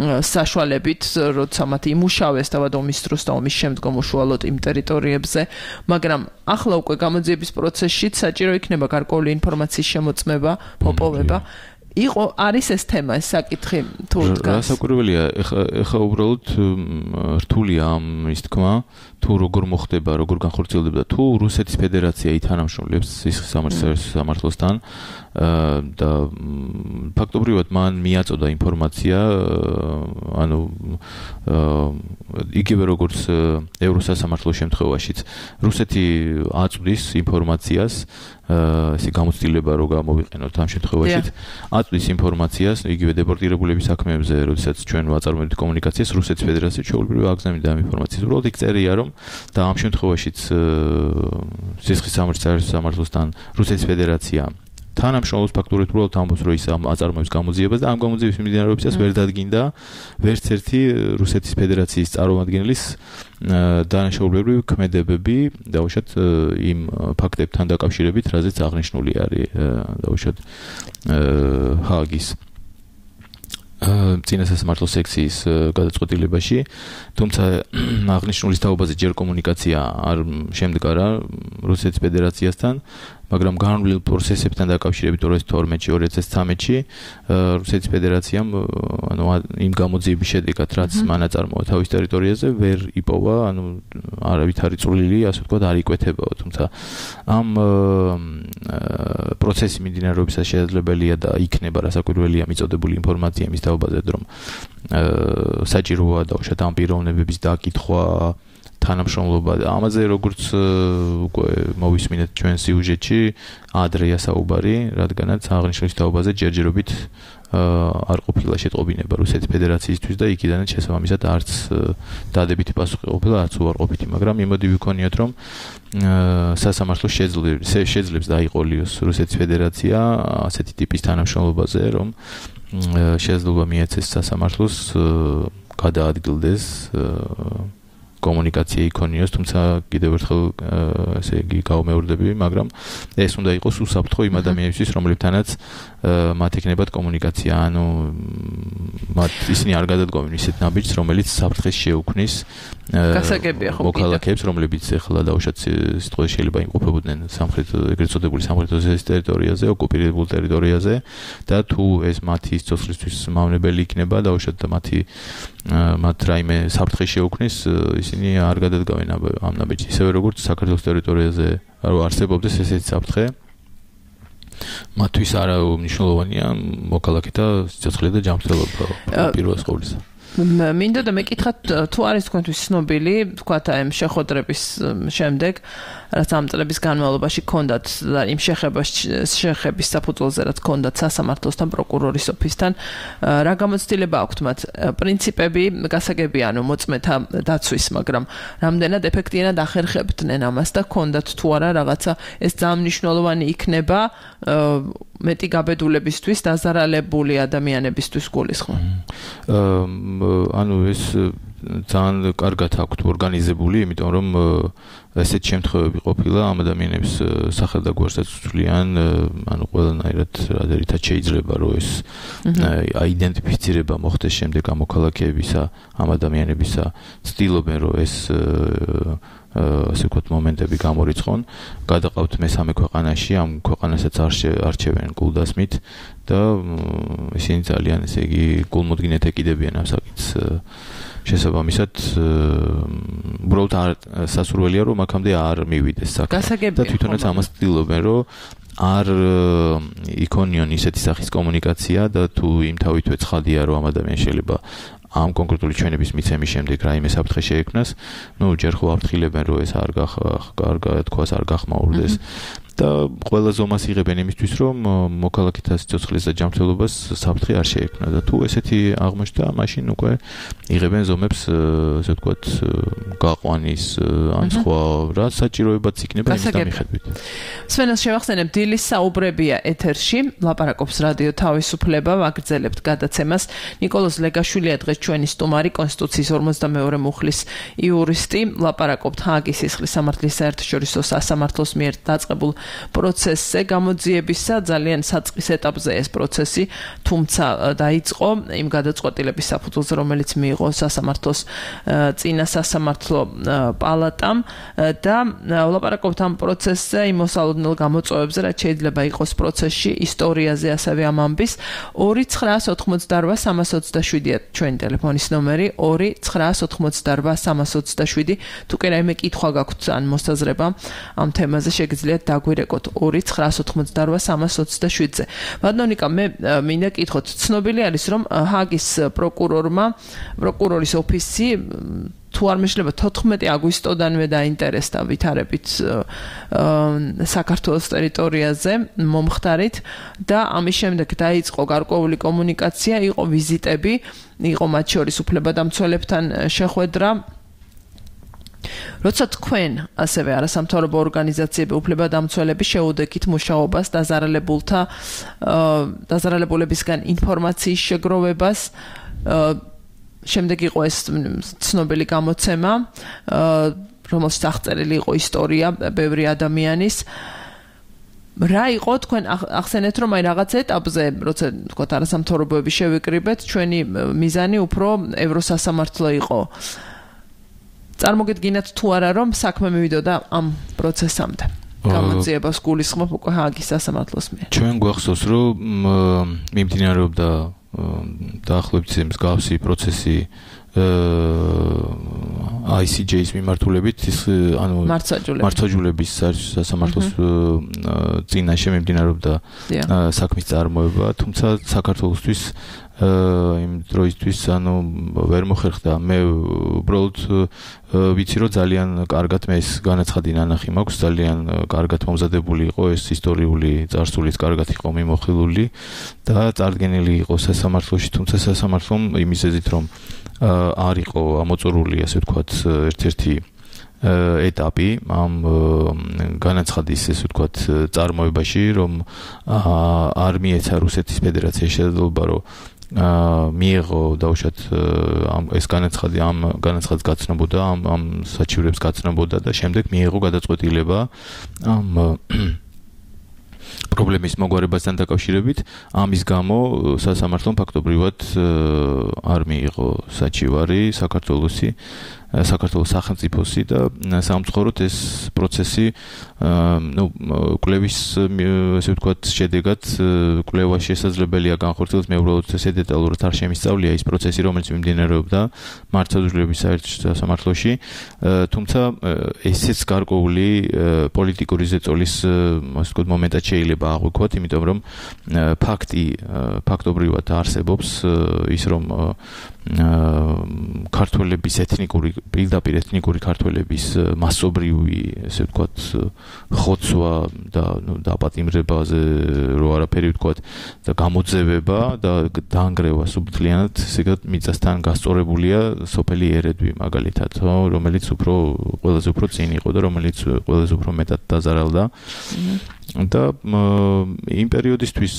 საშუალებით, როცა მათ იმუშავეს თავად ომის დროს და ომის შემდგომ უშუალოდ იმ ტერიტორიებზე, მაგრამ ახლა უკვე გამოძიების პროცესში საჭირო იქნება გარკვეული ინფორმაციის შემოწმება, მოპოვება. არის ეს თემა, ეს საკითხი თუ დგას. რასაკვირველია, ეხა უბრალოდ რთულია ამის თქმა, თუ როგორ მოხდება, როგორ განხორციელდება, თუ რუსეთის ფედერაცია ითანამშრომლებს სისხლის სამართლოსთან და ფაქტობრივად მან მიაწოდა ინფორმაცია, ანუ იგივე როგორც ევროსასამართლოს შემთხვევაშიც რუსეთი აწვდის ინფორმაციას, ესე გამოცდილება რო გამოვიყენოთ ამ შემთხვევაშიც, აწვდის ინფორმაციას იგივე დეპორტირებულების საქმეებზე, როდესაც ჩვენ ვაწარმოებთ კომუნიკაციას რუსეთის ფედერაციის ჩვეულებრივ აგზავნიდა ამ ინფორმაციას. უბრალოდ იქ წერია, რომ და ამ შემთხვევაშიც სისხლის სამართლოსთან რუსეთის ფედერაცია თანამშრომლობს ფაქტურად უბრალოდ ამბობს, რომ ის აწარმოებს გამოძიებას და ამ გამოძიების მიმდინარეობისას ვერ დადგინდა ვერც ერთი რუსეთის ფედერაციის წარმომადგენლის დანაშაულებრივი ქმედებები, დაუშვათ იმ ფაქტებთან დაკავშირებით, რაზეც აღნიშნული არის დაუშვათ ჰააგის წინასასამართლო სექციის გადაწყვეტილებაში, თუმცა აღნიშნულის თაობაზე ჯერ კომუნიკაცია არ შემდგარა რუსეთის ფედერაციასთან, მაგრამ განვლილ პროცესებთან დაკავშირებით 2012-2013-ში რუსეთის ფედერაციამ ანუ იმ გამოძიების შედეგად, რაც მან აწარმოა თავის ტერიტორიაზე, ვერ იპოვა, ანუ არავითარი წვლილი, ასე ვთქვათ, არ იკვეთებაო, თუმცა ამ პროცესის მიმდინარეობისას შესაძლებელია და იქნება რასაკვირველია მიწოდებული ინფორმაცია იმის თაობაზე, რომ საჭიროა დაუშვათ ამ პიროვნებების დაკითხვა, თანამშრომლობა და ამაზე როგორც უკვე მოვისმინეთ ჩვენ სიუჟეტში ადრეა საუბარი, რადგანაც აღნიშნულის თაობაზე ჯერჯერობით არ ყოფილა შეტყობინება რუსეთის ფედერაციისთვის და იქიდანაც შესაბამისად არც დადებითი პასუხი ყოფილა, არც უარყოფითი, მაგრამ იმოდი ვიქონიოთ, რომ სასამართლო შეძლებს დაიყოლიოს რუსეთის ფედერაცია ასეთი ტიპის თანამშრომლობაზე, რომ შესაძლოა მიეცეს სასამართლოს გადაადგილდეს კომუნიკაცია იქონიოს, თუმცა კიდევ ერთხელ ესე იგი გავმეორდები, მაგრამ ეს უნდა იყოს უსაფრთხო იმ ადამიანებისთვის, რომლებთანაც მათ ეკნებათ კომუნიკაცია, ანუ მათ ისინი არ გადადგომენ ისეთ ნაბიჯს, რომელიც საფრთხეს შეუქმნის გასაგებია ხო მოქალაქეებს, რომლებიც ეხლა დაუშვათ სიტყვაში შეიძლება იმყოფებოდნენ ეგრეთ წოდებული სამხრეთ ოსეთის ტერიტორიაზე, ოკუპირებულ ტერიტორიაზე და თუ ეს მათი სიცოცხლისთვის მავნებელი იქნება, დაუშვათ და მათ რაიმე საფრთხე შეუქმნის, ისინი არ გადადგავენ ამ ნაბიჯს, ისევე როგორც საქართველოს ტერიტორიაზე არსებობდეს ესეთი საფრთხე. მათთვის არა მნიშვნელოვანია მოქალაქეთა სიცოცხლე და ჯანმრთელობა პირველ ყოვლისა. მინდა და მეკითხათ, თუ არის თქვენთვის ცნობილი, თქვათ აი ამ შეხვედრების შემდეგ, რაც ამ წლების განმავლობაში ჰქონდათ და იმ შეხების საფუძველზე რაც ჰქონდათ სასამართლოსთან, პროკურორის ოფისთან, რა გამოცდილება აქვთ მათ? პრინციპები გასაგებია, ანუ მოწმეთა დაცვის, მაგრამ რამდენად ეფექტიანად ახერხებდნენ ამას და ჰქონდათ თუ არა რაღაცა ეს ძალიან მნიშვნელოვანი იქნება მეტი გაბედულებისთვის, დაზარალებული ადამიანებისთვის გულისხმობ. ანუ ეს ძალიან კარგად აქვთ ორგანიზებული, იმიტომ რომ ესეთ შემთხვევები ყოფილა ამ ადამიანების სახელდაგვარსაც უცვლიან, ანუ ყველანაირად რადერითაც შეიძლება რომ ეს აიდენტიფიცირება მოხდეს შემდეგ ამ მოქალაქეებისა, ამ ადამიანებისა, ცდილობენ რომ ეს ასე ვთქვათ მომენტები გამორიცხონ, გადაყავთ მესამე ქვეყანაში, ამ ქვეყანასაც არჩევენ გულდასმით და ისინი ძალიან ესე იგი გულმოდგინედ ეკიდებიან ამ საკითხს. შესაბამისად, უბრალოდ სასურველია რომ აქამდე არ მივიდეს საქმე და თვითონაც ამას ცდილობენ რომ არ იქონიონ ისეთი სახის კომუნიკაცია და თუ იმ თავითვე ცხადია რომ ამ ადამიანს შეიძლება ამ კონკრეტული ჩვენების მიცემის შემდეგ რაიმე საფრთხე შეექმნას, ჯერ ხო აფრთხილებენ რომ ეს არ თქვას არ გახმაურდეს და ყველა ზომას იღებენ იმისთვის რომ მოქალაქეთა სიცოცხლეს და ჯანმრთელობას საფრთხე არ შეექმნა და თუ ესეთი აღმოჩნდა, მაშინ უკვე იღებენ ზომებს, ასე ვთქვათ, გაყვანის ან სხვა რა საჭიროებაც იქნება იმის დამიხედვით. სვენას შევახსენებ, დილის საუბრებია ეთერში, ლაპარაკობს რადიო თავისუფლება, ვაგრძელებთ გადაცემას. ნიკოლოზ ლეგაშვილია დღეს ჩვენი სტუმარი, კონსტიტუციის 52 მუხლის იურისტი, ლაპარაკობთ ჰააგის სისხლის სამართლის საერთაშორისო სასამართლოს მიერ დაწყებულ პროცესზე, გამოძიებისა ძალიან საწყის ეტაპზე ეს პროცესი, თუმცა დაიწყო იმ გადაწყვეტილების საფუძველზე, რომელიც მიიღო სასამართლოს წინა სასამართლო პალატამ და ვლაპარაკობთ ამ პროცესზე, იმ მოსალოდნელ გამოწვევებზე, რაც შეიძლება იყოს პროცესში, ისტორიაზე, ასევე ამ ამბის. 2988327-ია ჩვენი ტელეფონის ნომერი, 2988327. თუ კი რაიმე კითხვა გაქვთ ან მოსაზრება ამ თემაზე, შეგიძლიათ დაგვირეკოთ 2988327-ზე. ბატონიკა, მე მინდა კითხოთ, ცნობილი არის, რომ ჰააგის პროკურორის ოფისი თუ არ მეშლება 14 აგვისტოდანვე დაინტერესდა ვითარებით საქართველოს ტერიტორიაზე მომხდარით და ამის შემდეგ დაიწყო გარკვეული კომუნიკაცია, იყო ვიზიტები, იყო მათ შორის უფლებადამცველებთან შეხვედრა. როცა თქვენ ასევე არასამთავრობო ორგანიზაციები უფლებადამცველები შეუდექით მუშაობას დაზარალებულებისგან ინფორმაციის შეგროვებას, შემდეგ იყო ეს ცნობილი გამოცემა, რომელშიც აღწერილი იყო ისტორია ბევრი ადამიანის. რა იყო თქვენ ახსენეთ, რომ აი რაღაც ეტაპზე, როცა თქვათ არასამთავრობოები შევიკრიბეთ, ჩვენი მიზანი უფრო ევროსასამართლო იყო. წარმოგედგინათ თუ არა, რომ საქმე მივიდოდა ამ პროცესამდე? გამოძიებას გულისხმობ უკვე ჰააგის სასამართლოს მიერ. ჩვენ გვახსოვს, რომ მიმდინარეობდა დაახლოებით მსგავსი პროცესი ICJ-ის მიმართულებით, ანუ მართლმსაჯულების სასამართლოს წინაშე მიმდინარეობდა საქმის წარმოება, თუმცა საქართველოსთვის იმ დროისთვის ანუ ვერ მოხერხდა. მე უბრალოდ ვიცი, რომ ძალიან კარგად მე ეს განაცხადი ნანახი მაქვს, ძალიან კარგად მომზადებული იყო ეს ისტორიული წარსულიც, კარგად იყო მიმოხილული და წარდგენილი იყო სასამართლოში, თუმცა სასამართლომ იმისეზით, რომ არ იყო ამოწურული, ასე ვთქვათ, ერთ-ერთი ეტაპი ამ განაცხადის, ესე ვთქვათ, წარმოებაში, რომ არ მიეცა რუსეთის ფედერაციის შესაძლებლობა, რომ მიიღო დაუშვათ ეს განაცხადი, ამ განაცხადს გაცნობოდა, ამ საჩივრებს გაცნობოდა და შემდეგ მიიღო გადაწყვეტილება ამ პრობლემის მოგვარებასთან დაკავშირებით. ამის გამო სასამართლომ ფაქტობრივად არ მიიღო საჩივარი საქართველოს სახელმწიფოსი და სამწუხაროდ ეს პროცესი კვლევის, ესე ვთქვათ, შედეგად კვლევა შესაძლებელია განხორციელდეს. მე უბრალოდ ესე დეტალურად არ შემისწავლია ის პროცესი, რომელიც მიმდინარეობდა მართლმსაჯულების საერთაშორისო სასამართლოში, თუმცა ესეც გარკვეული პოლიტიკური ზეწოლის, ასე ვთქვათ, მომენტად შეიძლება აღვიქვათ, იმიტომ რომ ფაქტობრივად არსებობს ის, რომ ქართველების პირდაპირ ეთნიკური ქართველების მასობრივი, ესე ვთქვათ, ხოცვა და დაპატიმრებაზე რო არაფერი ვთქვათ და გამოძევება და დაანგრევა სუბთლიანად, ესე მიწასთან გასწორებულია სოფელი ერედვი მაგალითად, რომელიც ყველაზე უფრო წინ იყო და რომელიც ყველაზე უფრო მეტად დაზარალდა. და იმ პერიოდისთვის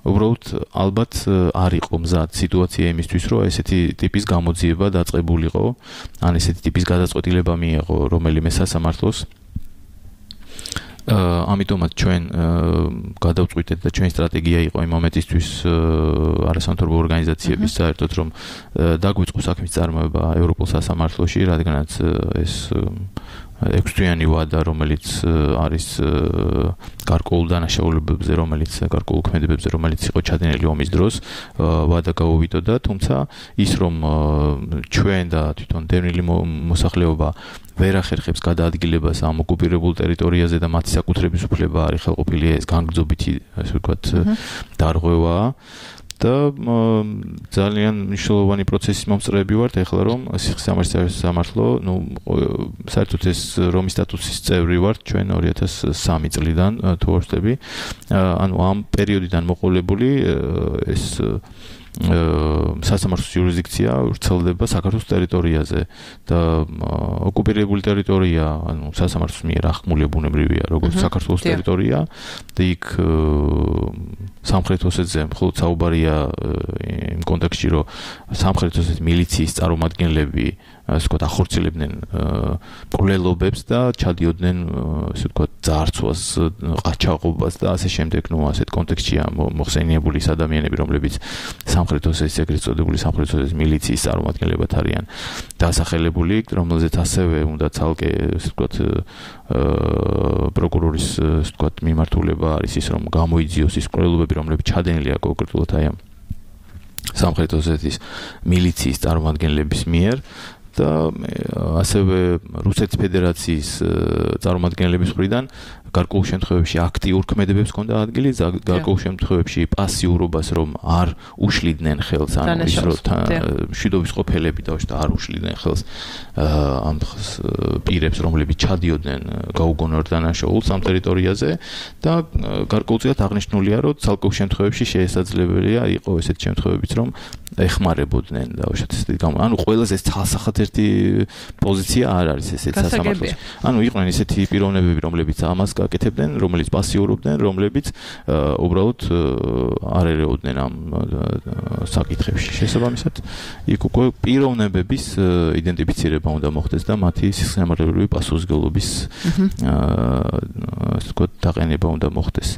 უბრალოდ ალბათ არ იყო მზად სიტუაცია იმისთვის, რომ ესეთი ტიპის გამოძიება დაწყებულიყო, ან ესეთი ტიპის გადაწყვეტილება მიიღო რომელიმე სასამართლოს. ამიტომაც ჩვენ გადავწყვიტეთ და ჩვენი სტრატეგია იყო იმ მომენტისთვის არასამთავრობო ორგანიზაციების საერთოდ, რომ დაგვიწყო საქმის წარმოება ევროპულ სასამართლოში, რადგანაც ეს 6-თვიანი ვადა, რომელიც არის გარკვეულ დანაშაულებებზე, გარკვეულ ქმედებებზე, რომელიც იყო ჩადენილი ომის დროს, ვადა გაუვიდოდა, თუმცა ის, რომ ჩვენ და თვითონ დევნილი მოსახლეობა ვერ ახერხებს გადაადგილებას ამ ოკუპირებულ ტერიტორიაზე და მათი საკუთრების უფლება არის ხელყოფილია, ეს განგრძობითი, ასე ვთქვათ, დარღვევაა. და ძალიან მნიშვნელოვანი პროცესის მომწრეები ვართ ეხლა, რომ სიხსამართლოს სამართლო, საერთოდ ეს რომის სტატუსის წევრი ვართ ჩვენ 2003 წლიდან თუ არ ვცდები. ანუ ამ პერიოდიდან მოყოლებული ეს სასამართლოს იურისდიქცია ვრცელდება საქართველოს ტერიტორიაზე და ოკუპირებული ტერიტორია, ანუ სასამართლოს მიერ ახმული ბუნებრივია, როგორც საქართველოს ტერიტორია და იქ სამხრეთ ოსეთზე მხოლოდ საუბარია იმ კონტექსტში, რომ სამხრეთ ოსეთის მილიციის წარმომადგენლები ასე ვთქვათ, ახორციელებდნენ პროლელობებს და ჩადიოდნენ ასე ვთქვათ, ძარცვას, ყაჩაღობას და ასე შემდეგ, ასეთ კონტექსტშია მოხსენიებული ადამიანები, რომლებიც სამხრეთ ოსეთის ეგრეთ წოდებული სამხრეთ ოსეთის მილიციის წარმომადგენლებად არიან დასახელებული, რომელზეც ასევე უნდა ცალკე ასე ვთქვათ, პროკურორის ასე ვთქვათ, მიმართულება არის ის, რომ გამოიძიოს ის პროლელობები, რომლებიც ჩადენილია კონკრეტულად აი ამ სამხრეთ ოსეთის მილიციის წარმომადგენლების მიერ და ასევე რუსეთის ფედერაციის წარმომადგენლების მხრიდან გარკვეულ შემთხვევებში აქტიურ ქმედებებს ჰქონდა ადგილი, გარკვეულ შემთხვევებში პასიურობას რომ არ უშლიდნენ ხელს, ანუ ის რომ მშვიდობის ყოფილები და არ უშლიდნენ ხელს ამ პირებს, რომლებიც ჩადიოდნენ გაუგონორ დანაშაულს ამ ტერიტორიაზე და გარკვეულწილად აღნიშნულია, რომ ცალკეულ შემთხვევებში შესაძლებელია იყო ესეთ შემთხვევებიც, რომ ეხმარებოდნენ და უშუალოდ ანუ ყველაზე ცალსახათერთი პოზიცია არ არის ესეთ სასამართლოს. ანუ იყვნენ ესეთი პიროვნებები, რომლებიც ამას გაკეთებდნენ, რომელიც პასიურობდნენ, რომლებიც უბრალოდ არ ერეოდნენ ამ საკითხებში. შესაბამისად, იქ უკვე პიროვნებების იდენტიფიცირება უნდა მოხდეს და მათი სისხლისმგებლობრივი პასუხისმგებლობის ასე ვთქვათ, დაყენება უნდა მოხდეს.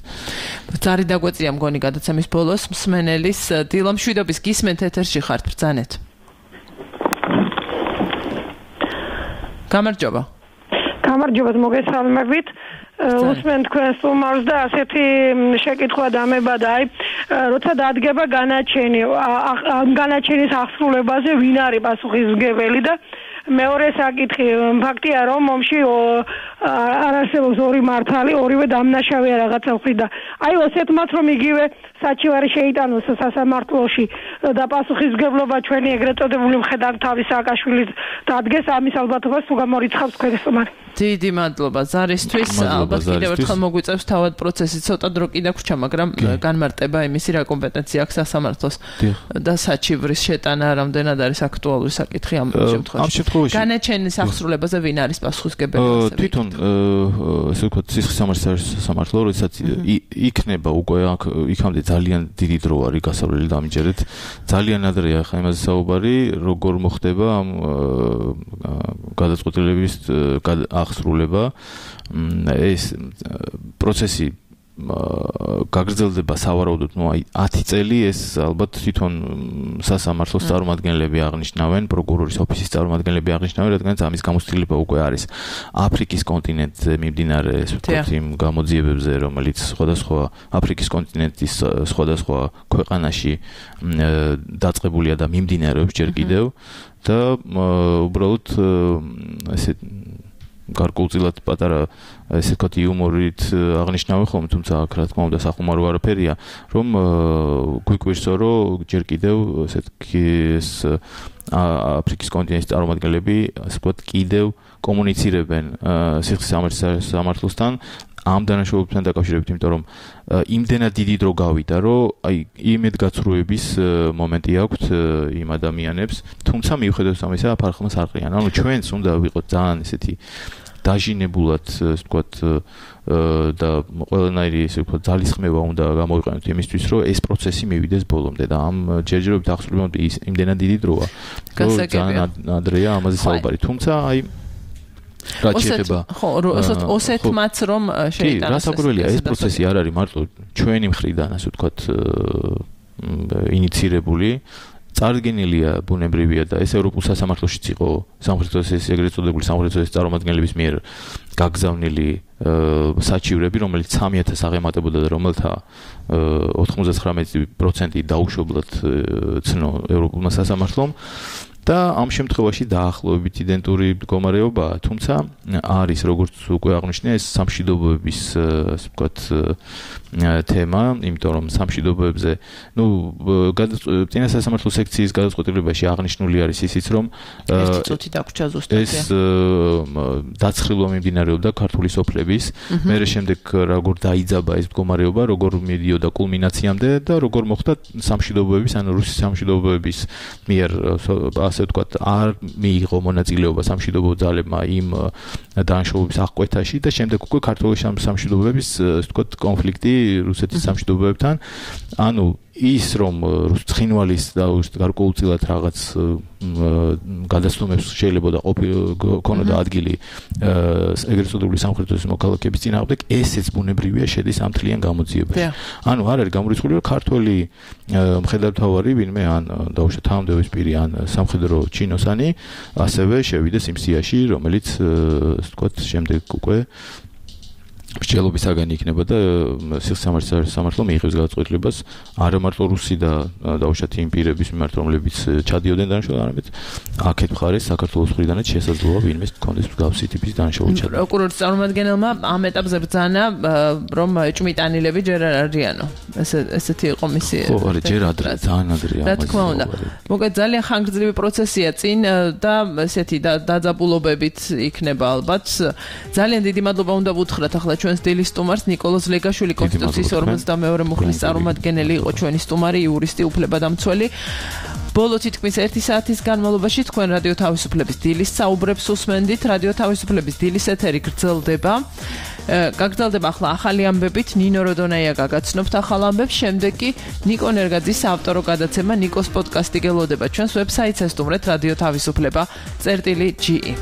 ზარი დაგვეწია მგონი გადაცემის ბოლოს მსმენელის დილა მშვიდობის გისმენთ ეთერში ხართ ბრძანეთ. გამარჯობა. გამარჯობა, მოგესალმებით. უსმენ თქვენ სტუმარს და ასეთი შეკითხვა დამებადა, როცა დადგება განაჩენი, ამ განაჩენის აღსრულებაზე ვინ არის პასუხისმგებელი და მეორე საკითხი, ფაქტია რომ მომში არ არსებობს ორი მართალი, ორივე დამნაშავეა რაღაცა ვხდით და აი ოსეთმაც რომ იგივე საჩივარი შეიტანოს სასამართლოში და პასუხისმგებლობა ჩვენი ეგრეთ წოდებული მხედართმთავრის სააკაშვილის დადგეს, ამის ალბათობას თუ გამორიცხავს თქვენ სტუმარი. დიდი მადლობა ზარისთვის, ალბათ კიდევ ერთხელ მოგვიწევს თავად პროცესი ცოტა დრო კიდე გრჩა, მაგრამ განმარტება იმისი რა კომპეტენცია აქვს სასამართლოს და საჩივრის შეტანა რამდენად არის აქტუალური საკითხი ამ შემთხვევაში. განაჩენის აღსრულებაზე ვინ არის პასუხისმგებელი? თვითონ ასე ვთქვათ, სისხლისამართლის სამართლო, როდესაც იქნება უკვე იქამდე ძალიან დიდი დრო არის გასავლელი დამიჯერეთ. ძალიან ადრეა ხა იმაზე საუბარი, როგორ მოხდება ამ გადაწყვეტილების აღსრულება. ეს პროცესი გაგრძელდება სავარაუდოდ 10 წელი, ეს ალბათ თვითონ სასამართლოს წარმომადგენლები აღნიშნავენ, პროკურორის ოფისის წარმომადგენლები აღნიშნავენ, რადგანაც ამის გამოცდილება უკვე არის აფრიკის კონტინენტზე მიმდინარე, ასე ვთქვათ, იმ გამოძიებებზე, რომელიც სხვადასხვა აფრიკის კონტინენტის სხვადასხვა ქვეყანაში დაწყებულია და მიმდინარეობს ჯერ კიდევ და უბრალოდ ესე გარკვეულწილად პატარა ესე ვთქვათ იუმორით აღნიშნავენ ხოლმე, თუმცა აქ რა თქმა უნდა სახუმარო არაფერია, რომ გვიკვირსო, რომ ჯერ კიდევ ესეთი აფრიკის კონტინენტის წარმომადგენლები ასე ვთქვათ კიდევ კომუნიცირებენ სისხლისამართლის სამართლოსთან ამ დანაშაულებთან დაკავშირებით, იმიტომ რომ იმდენად დიდი დრო გავიდა, რომ აი იმედგაცრუების მომენტი აქვთ იმ ადამიანებს, თუმცა მიუხედავად ამისა ფარხმას არ ყრიან. ანუ ჩვენც უნდა ვიყოთ ძალიან ესეთი დაჟინებულად, ასე ვთქვათ, და ყველანაირი ესე ვთქვათ ძალისხმევა უნდა გამოვიყენოთ იმისთვის, რომ ეს პროცესი მივიდეს ბოლომდე და ამ ჯერჯერობით აღსრულებამდე იმდენად დიდი დროა. ძალიან ადრეა ამაზე საუბარი. თუმცა აი ოსეთმაც რომ შეიტანოს. რასაკვირველია, ეს პროცესი არ არის მარტო ჩვენი მხრიდან, ასე ვთქვათ, ინიცირებული. წარდგენილია ბუნებრივია და ეს ევროპულ სასამართლოშიც იყო სამხრეთ ოსეთის ეგრეთ წოდებული სამხრეთ ოსეთის წარმომადგენლების მიერ გაგზავნილი საჩივრები, რომელიც 3000 აღემატებოდა და რომელთა 99% დაუშვებლად ცნო ევროპულმა სასამართლომ. და ამ შემთხვევაში დაახლოებით იდენტური მდგომარეობაა, თუმცა არის როგორც უკვე აღნიშნე ეს სამშვიდობოების ასე ვთქვათ თემა, იმიტომ რომ სამშვიდობოებზე, წინა სასამართლო სექციის გადაწყვეტილებაში აღნიშნული არის ისიც, რომ ერთი წუთი დაგვრჩა ზუსტად ეს დაცხრილვა მიმდინარეობდა ქართული სოფლების, მერე შემდეგ როგორ დაიძაბა ეს მდგომარეობა, როგორ მიდიოდა კულმინაციამდე და როგორ მოხდა სამშვიდობოების, ანუ რუსის სამშვიდობოების მიერ, ასე ვთქვათ, არ მიიღო მონაწილეობა სამშვიდობო ძალებმა იმ დანაშაულების აღკვეთაში და შემდეგ უკვე ქართული სამშვიდობოების, ასე ვთქვათ, კონფლიქტი რუსეთის სამშვიდობოებთან, ანუ ის რომ ცხინვალის და გარკვეულწილად რაღაც გადასტომებს შეიძლება და ქონოდა ადგილი ეგრეთ წოდებული სამხრეთის მოქალაქეების წინააღმდეგ, ესეც ბუნებრივია შედის ამ თლიან გამოძიებაში. ანუ არ არის გამორიცხული, რომ ქართველი მხედართმთავარი ვინმე ან დაუშვათ თანამდებობის პირი ან სამხედრო ჩინოსანი ასევე შევიდეს იმ სიაში, რომელიც ასე ვთქვათ შემდეგ უკვე მსჯელობისაგან იქნება და სამართლო მიიღებს გადაწყვეტილებას არა მარტო რუსი და დაუშვათ იმ პირების მიმართ, რომლებიც ჩადიოდნენ დანაშაულად, არამედ აქეთ მხარეს საქართველოს მხრიდანაც შესაძლოა ვინმეს ჰქონდეს მსგავსი ტიპის დანაშაული ჩადიოდნენ. პროკურორის წარმომადგენელმა ამ ეტაპზე ბრძანა, რომ ჭმიტანილები ჯერ არ არიანო. ესეთი იყო მისი. ხო, არა, ჯერ ადრე, ძალიან ადრეა. რა თქმა უნდა. მოკლედ ძალიან ხანგრძლივი პროცესია წინ და ესეთი დაძაბულობებით იქნება ალბათ. ძალიან დიდი მადლობა უნდა ვუთხრათ ახლა ჩვენს დილის სტუმარს ნიკოლოზ ლეგაშვილი, კონსტიტუციის 52 მუხლის წარმომადგენელი იყო ჩვენი სტუმარი, იურისტი, უფლებადამცველი. ბოლო თითქმის 1 საათის განმავლობაში თქვენ რადიო თავისუფლების დილის საუბრებს უსმენდით. რადიო თავისუფლების დილის ეთერი გრძელდება. გაგრძელდება ახლა ახალი ამბებით, ნინო როდონაია გაგაცნობთ ახალ ამბებს, შემდეგ კი ნიკო ნერგაძის საავტორო გადაცემა ნიკოს პოდკასტი გელოდება ჩვენს ვებსაიტზე, სტუმრეთ რადიო თავისუფლება.ge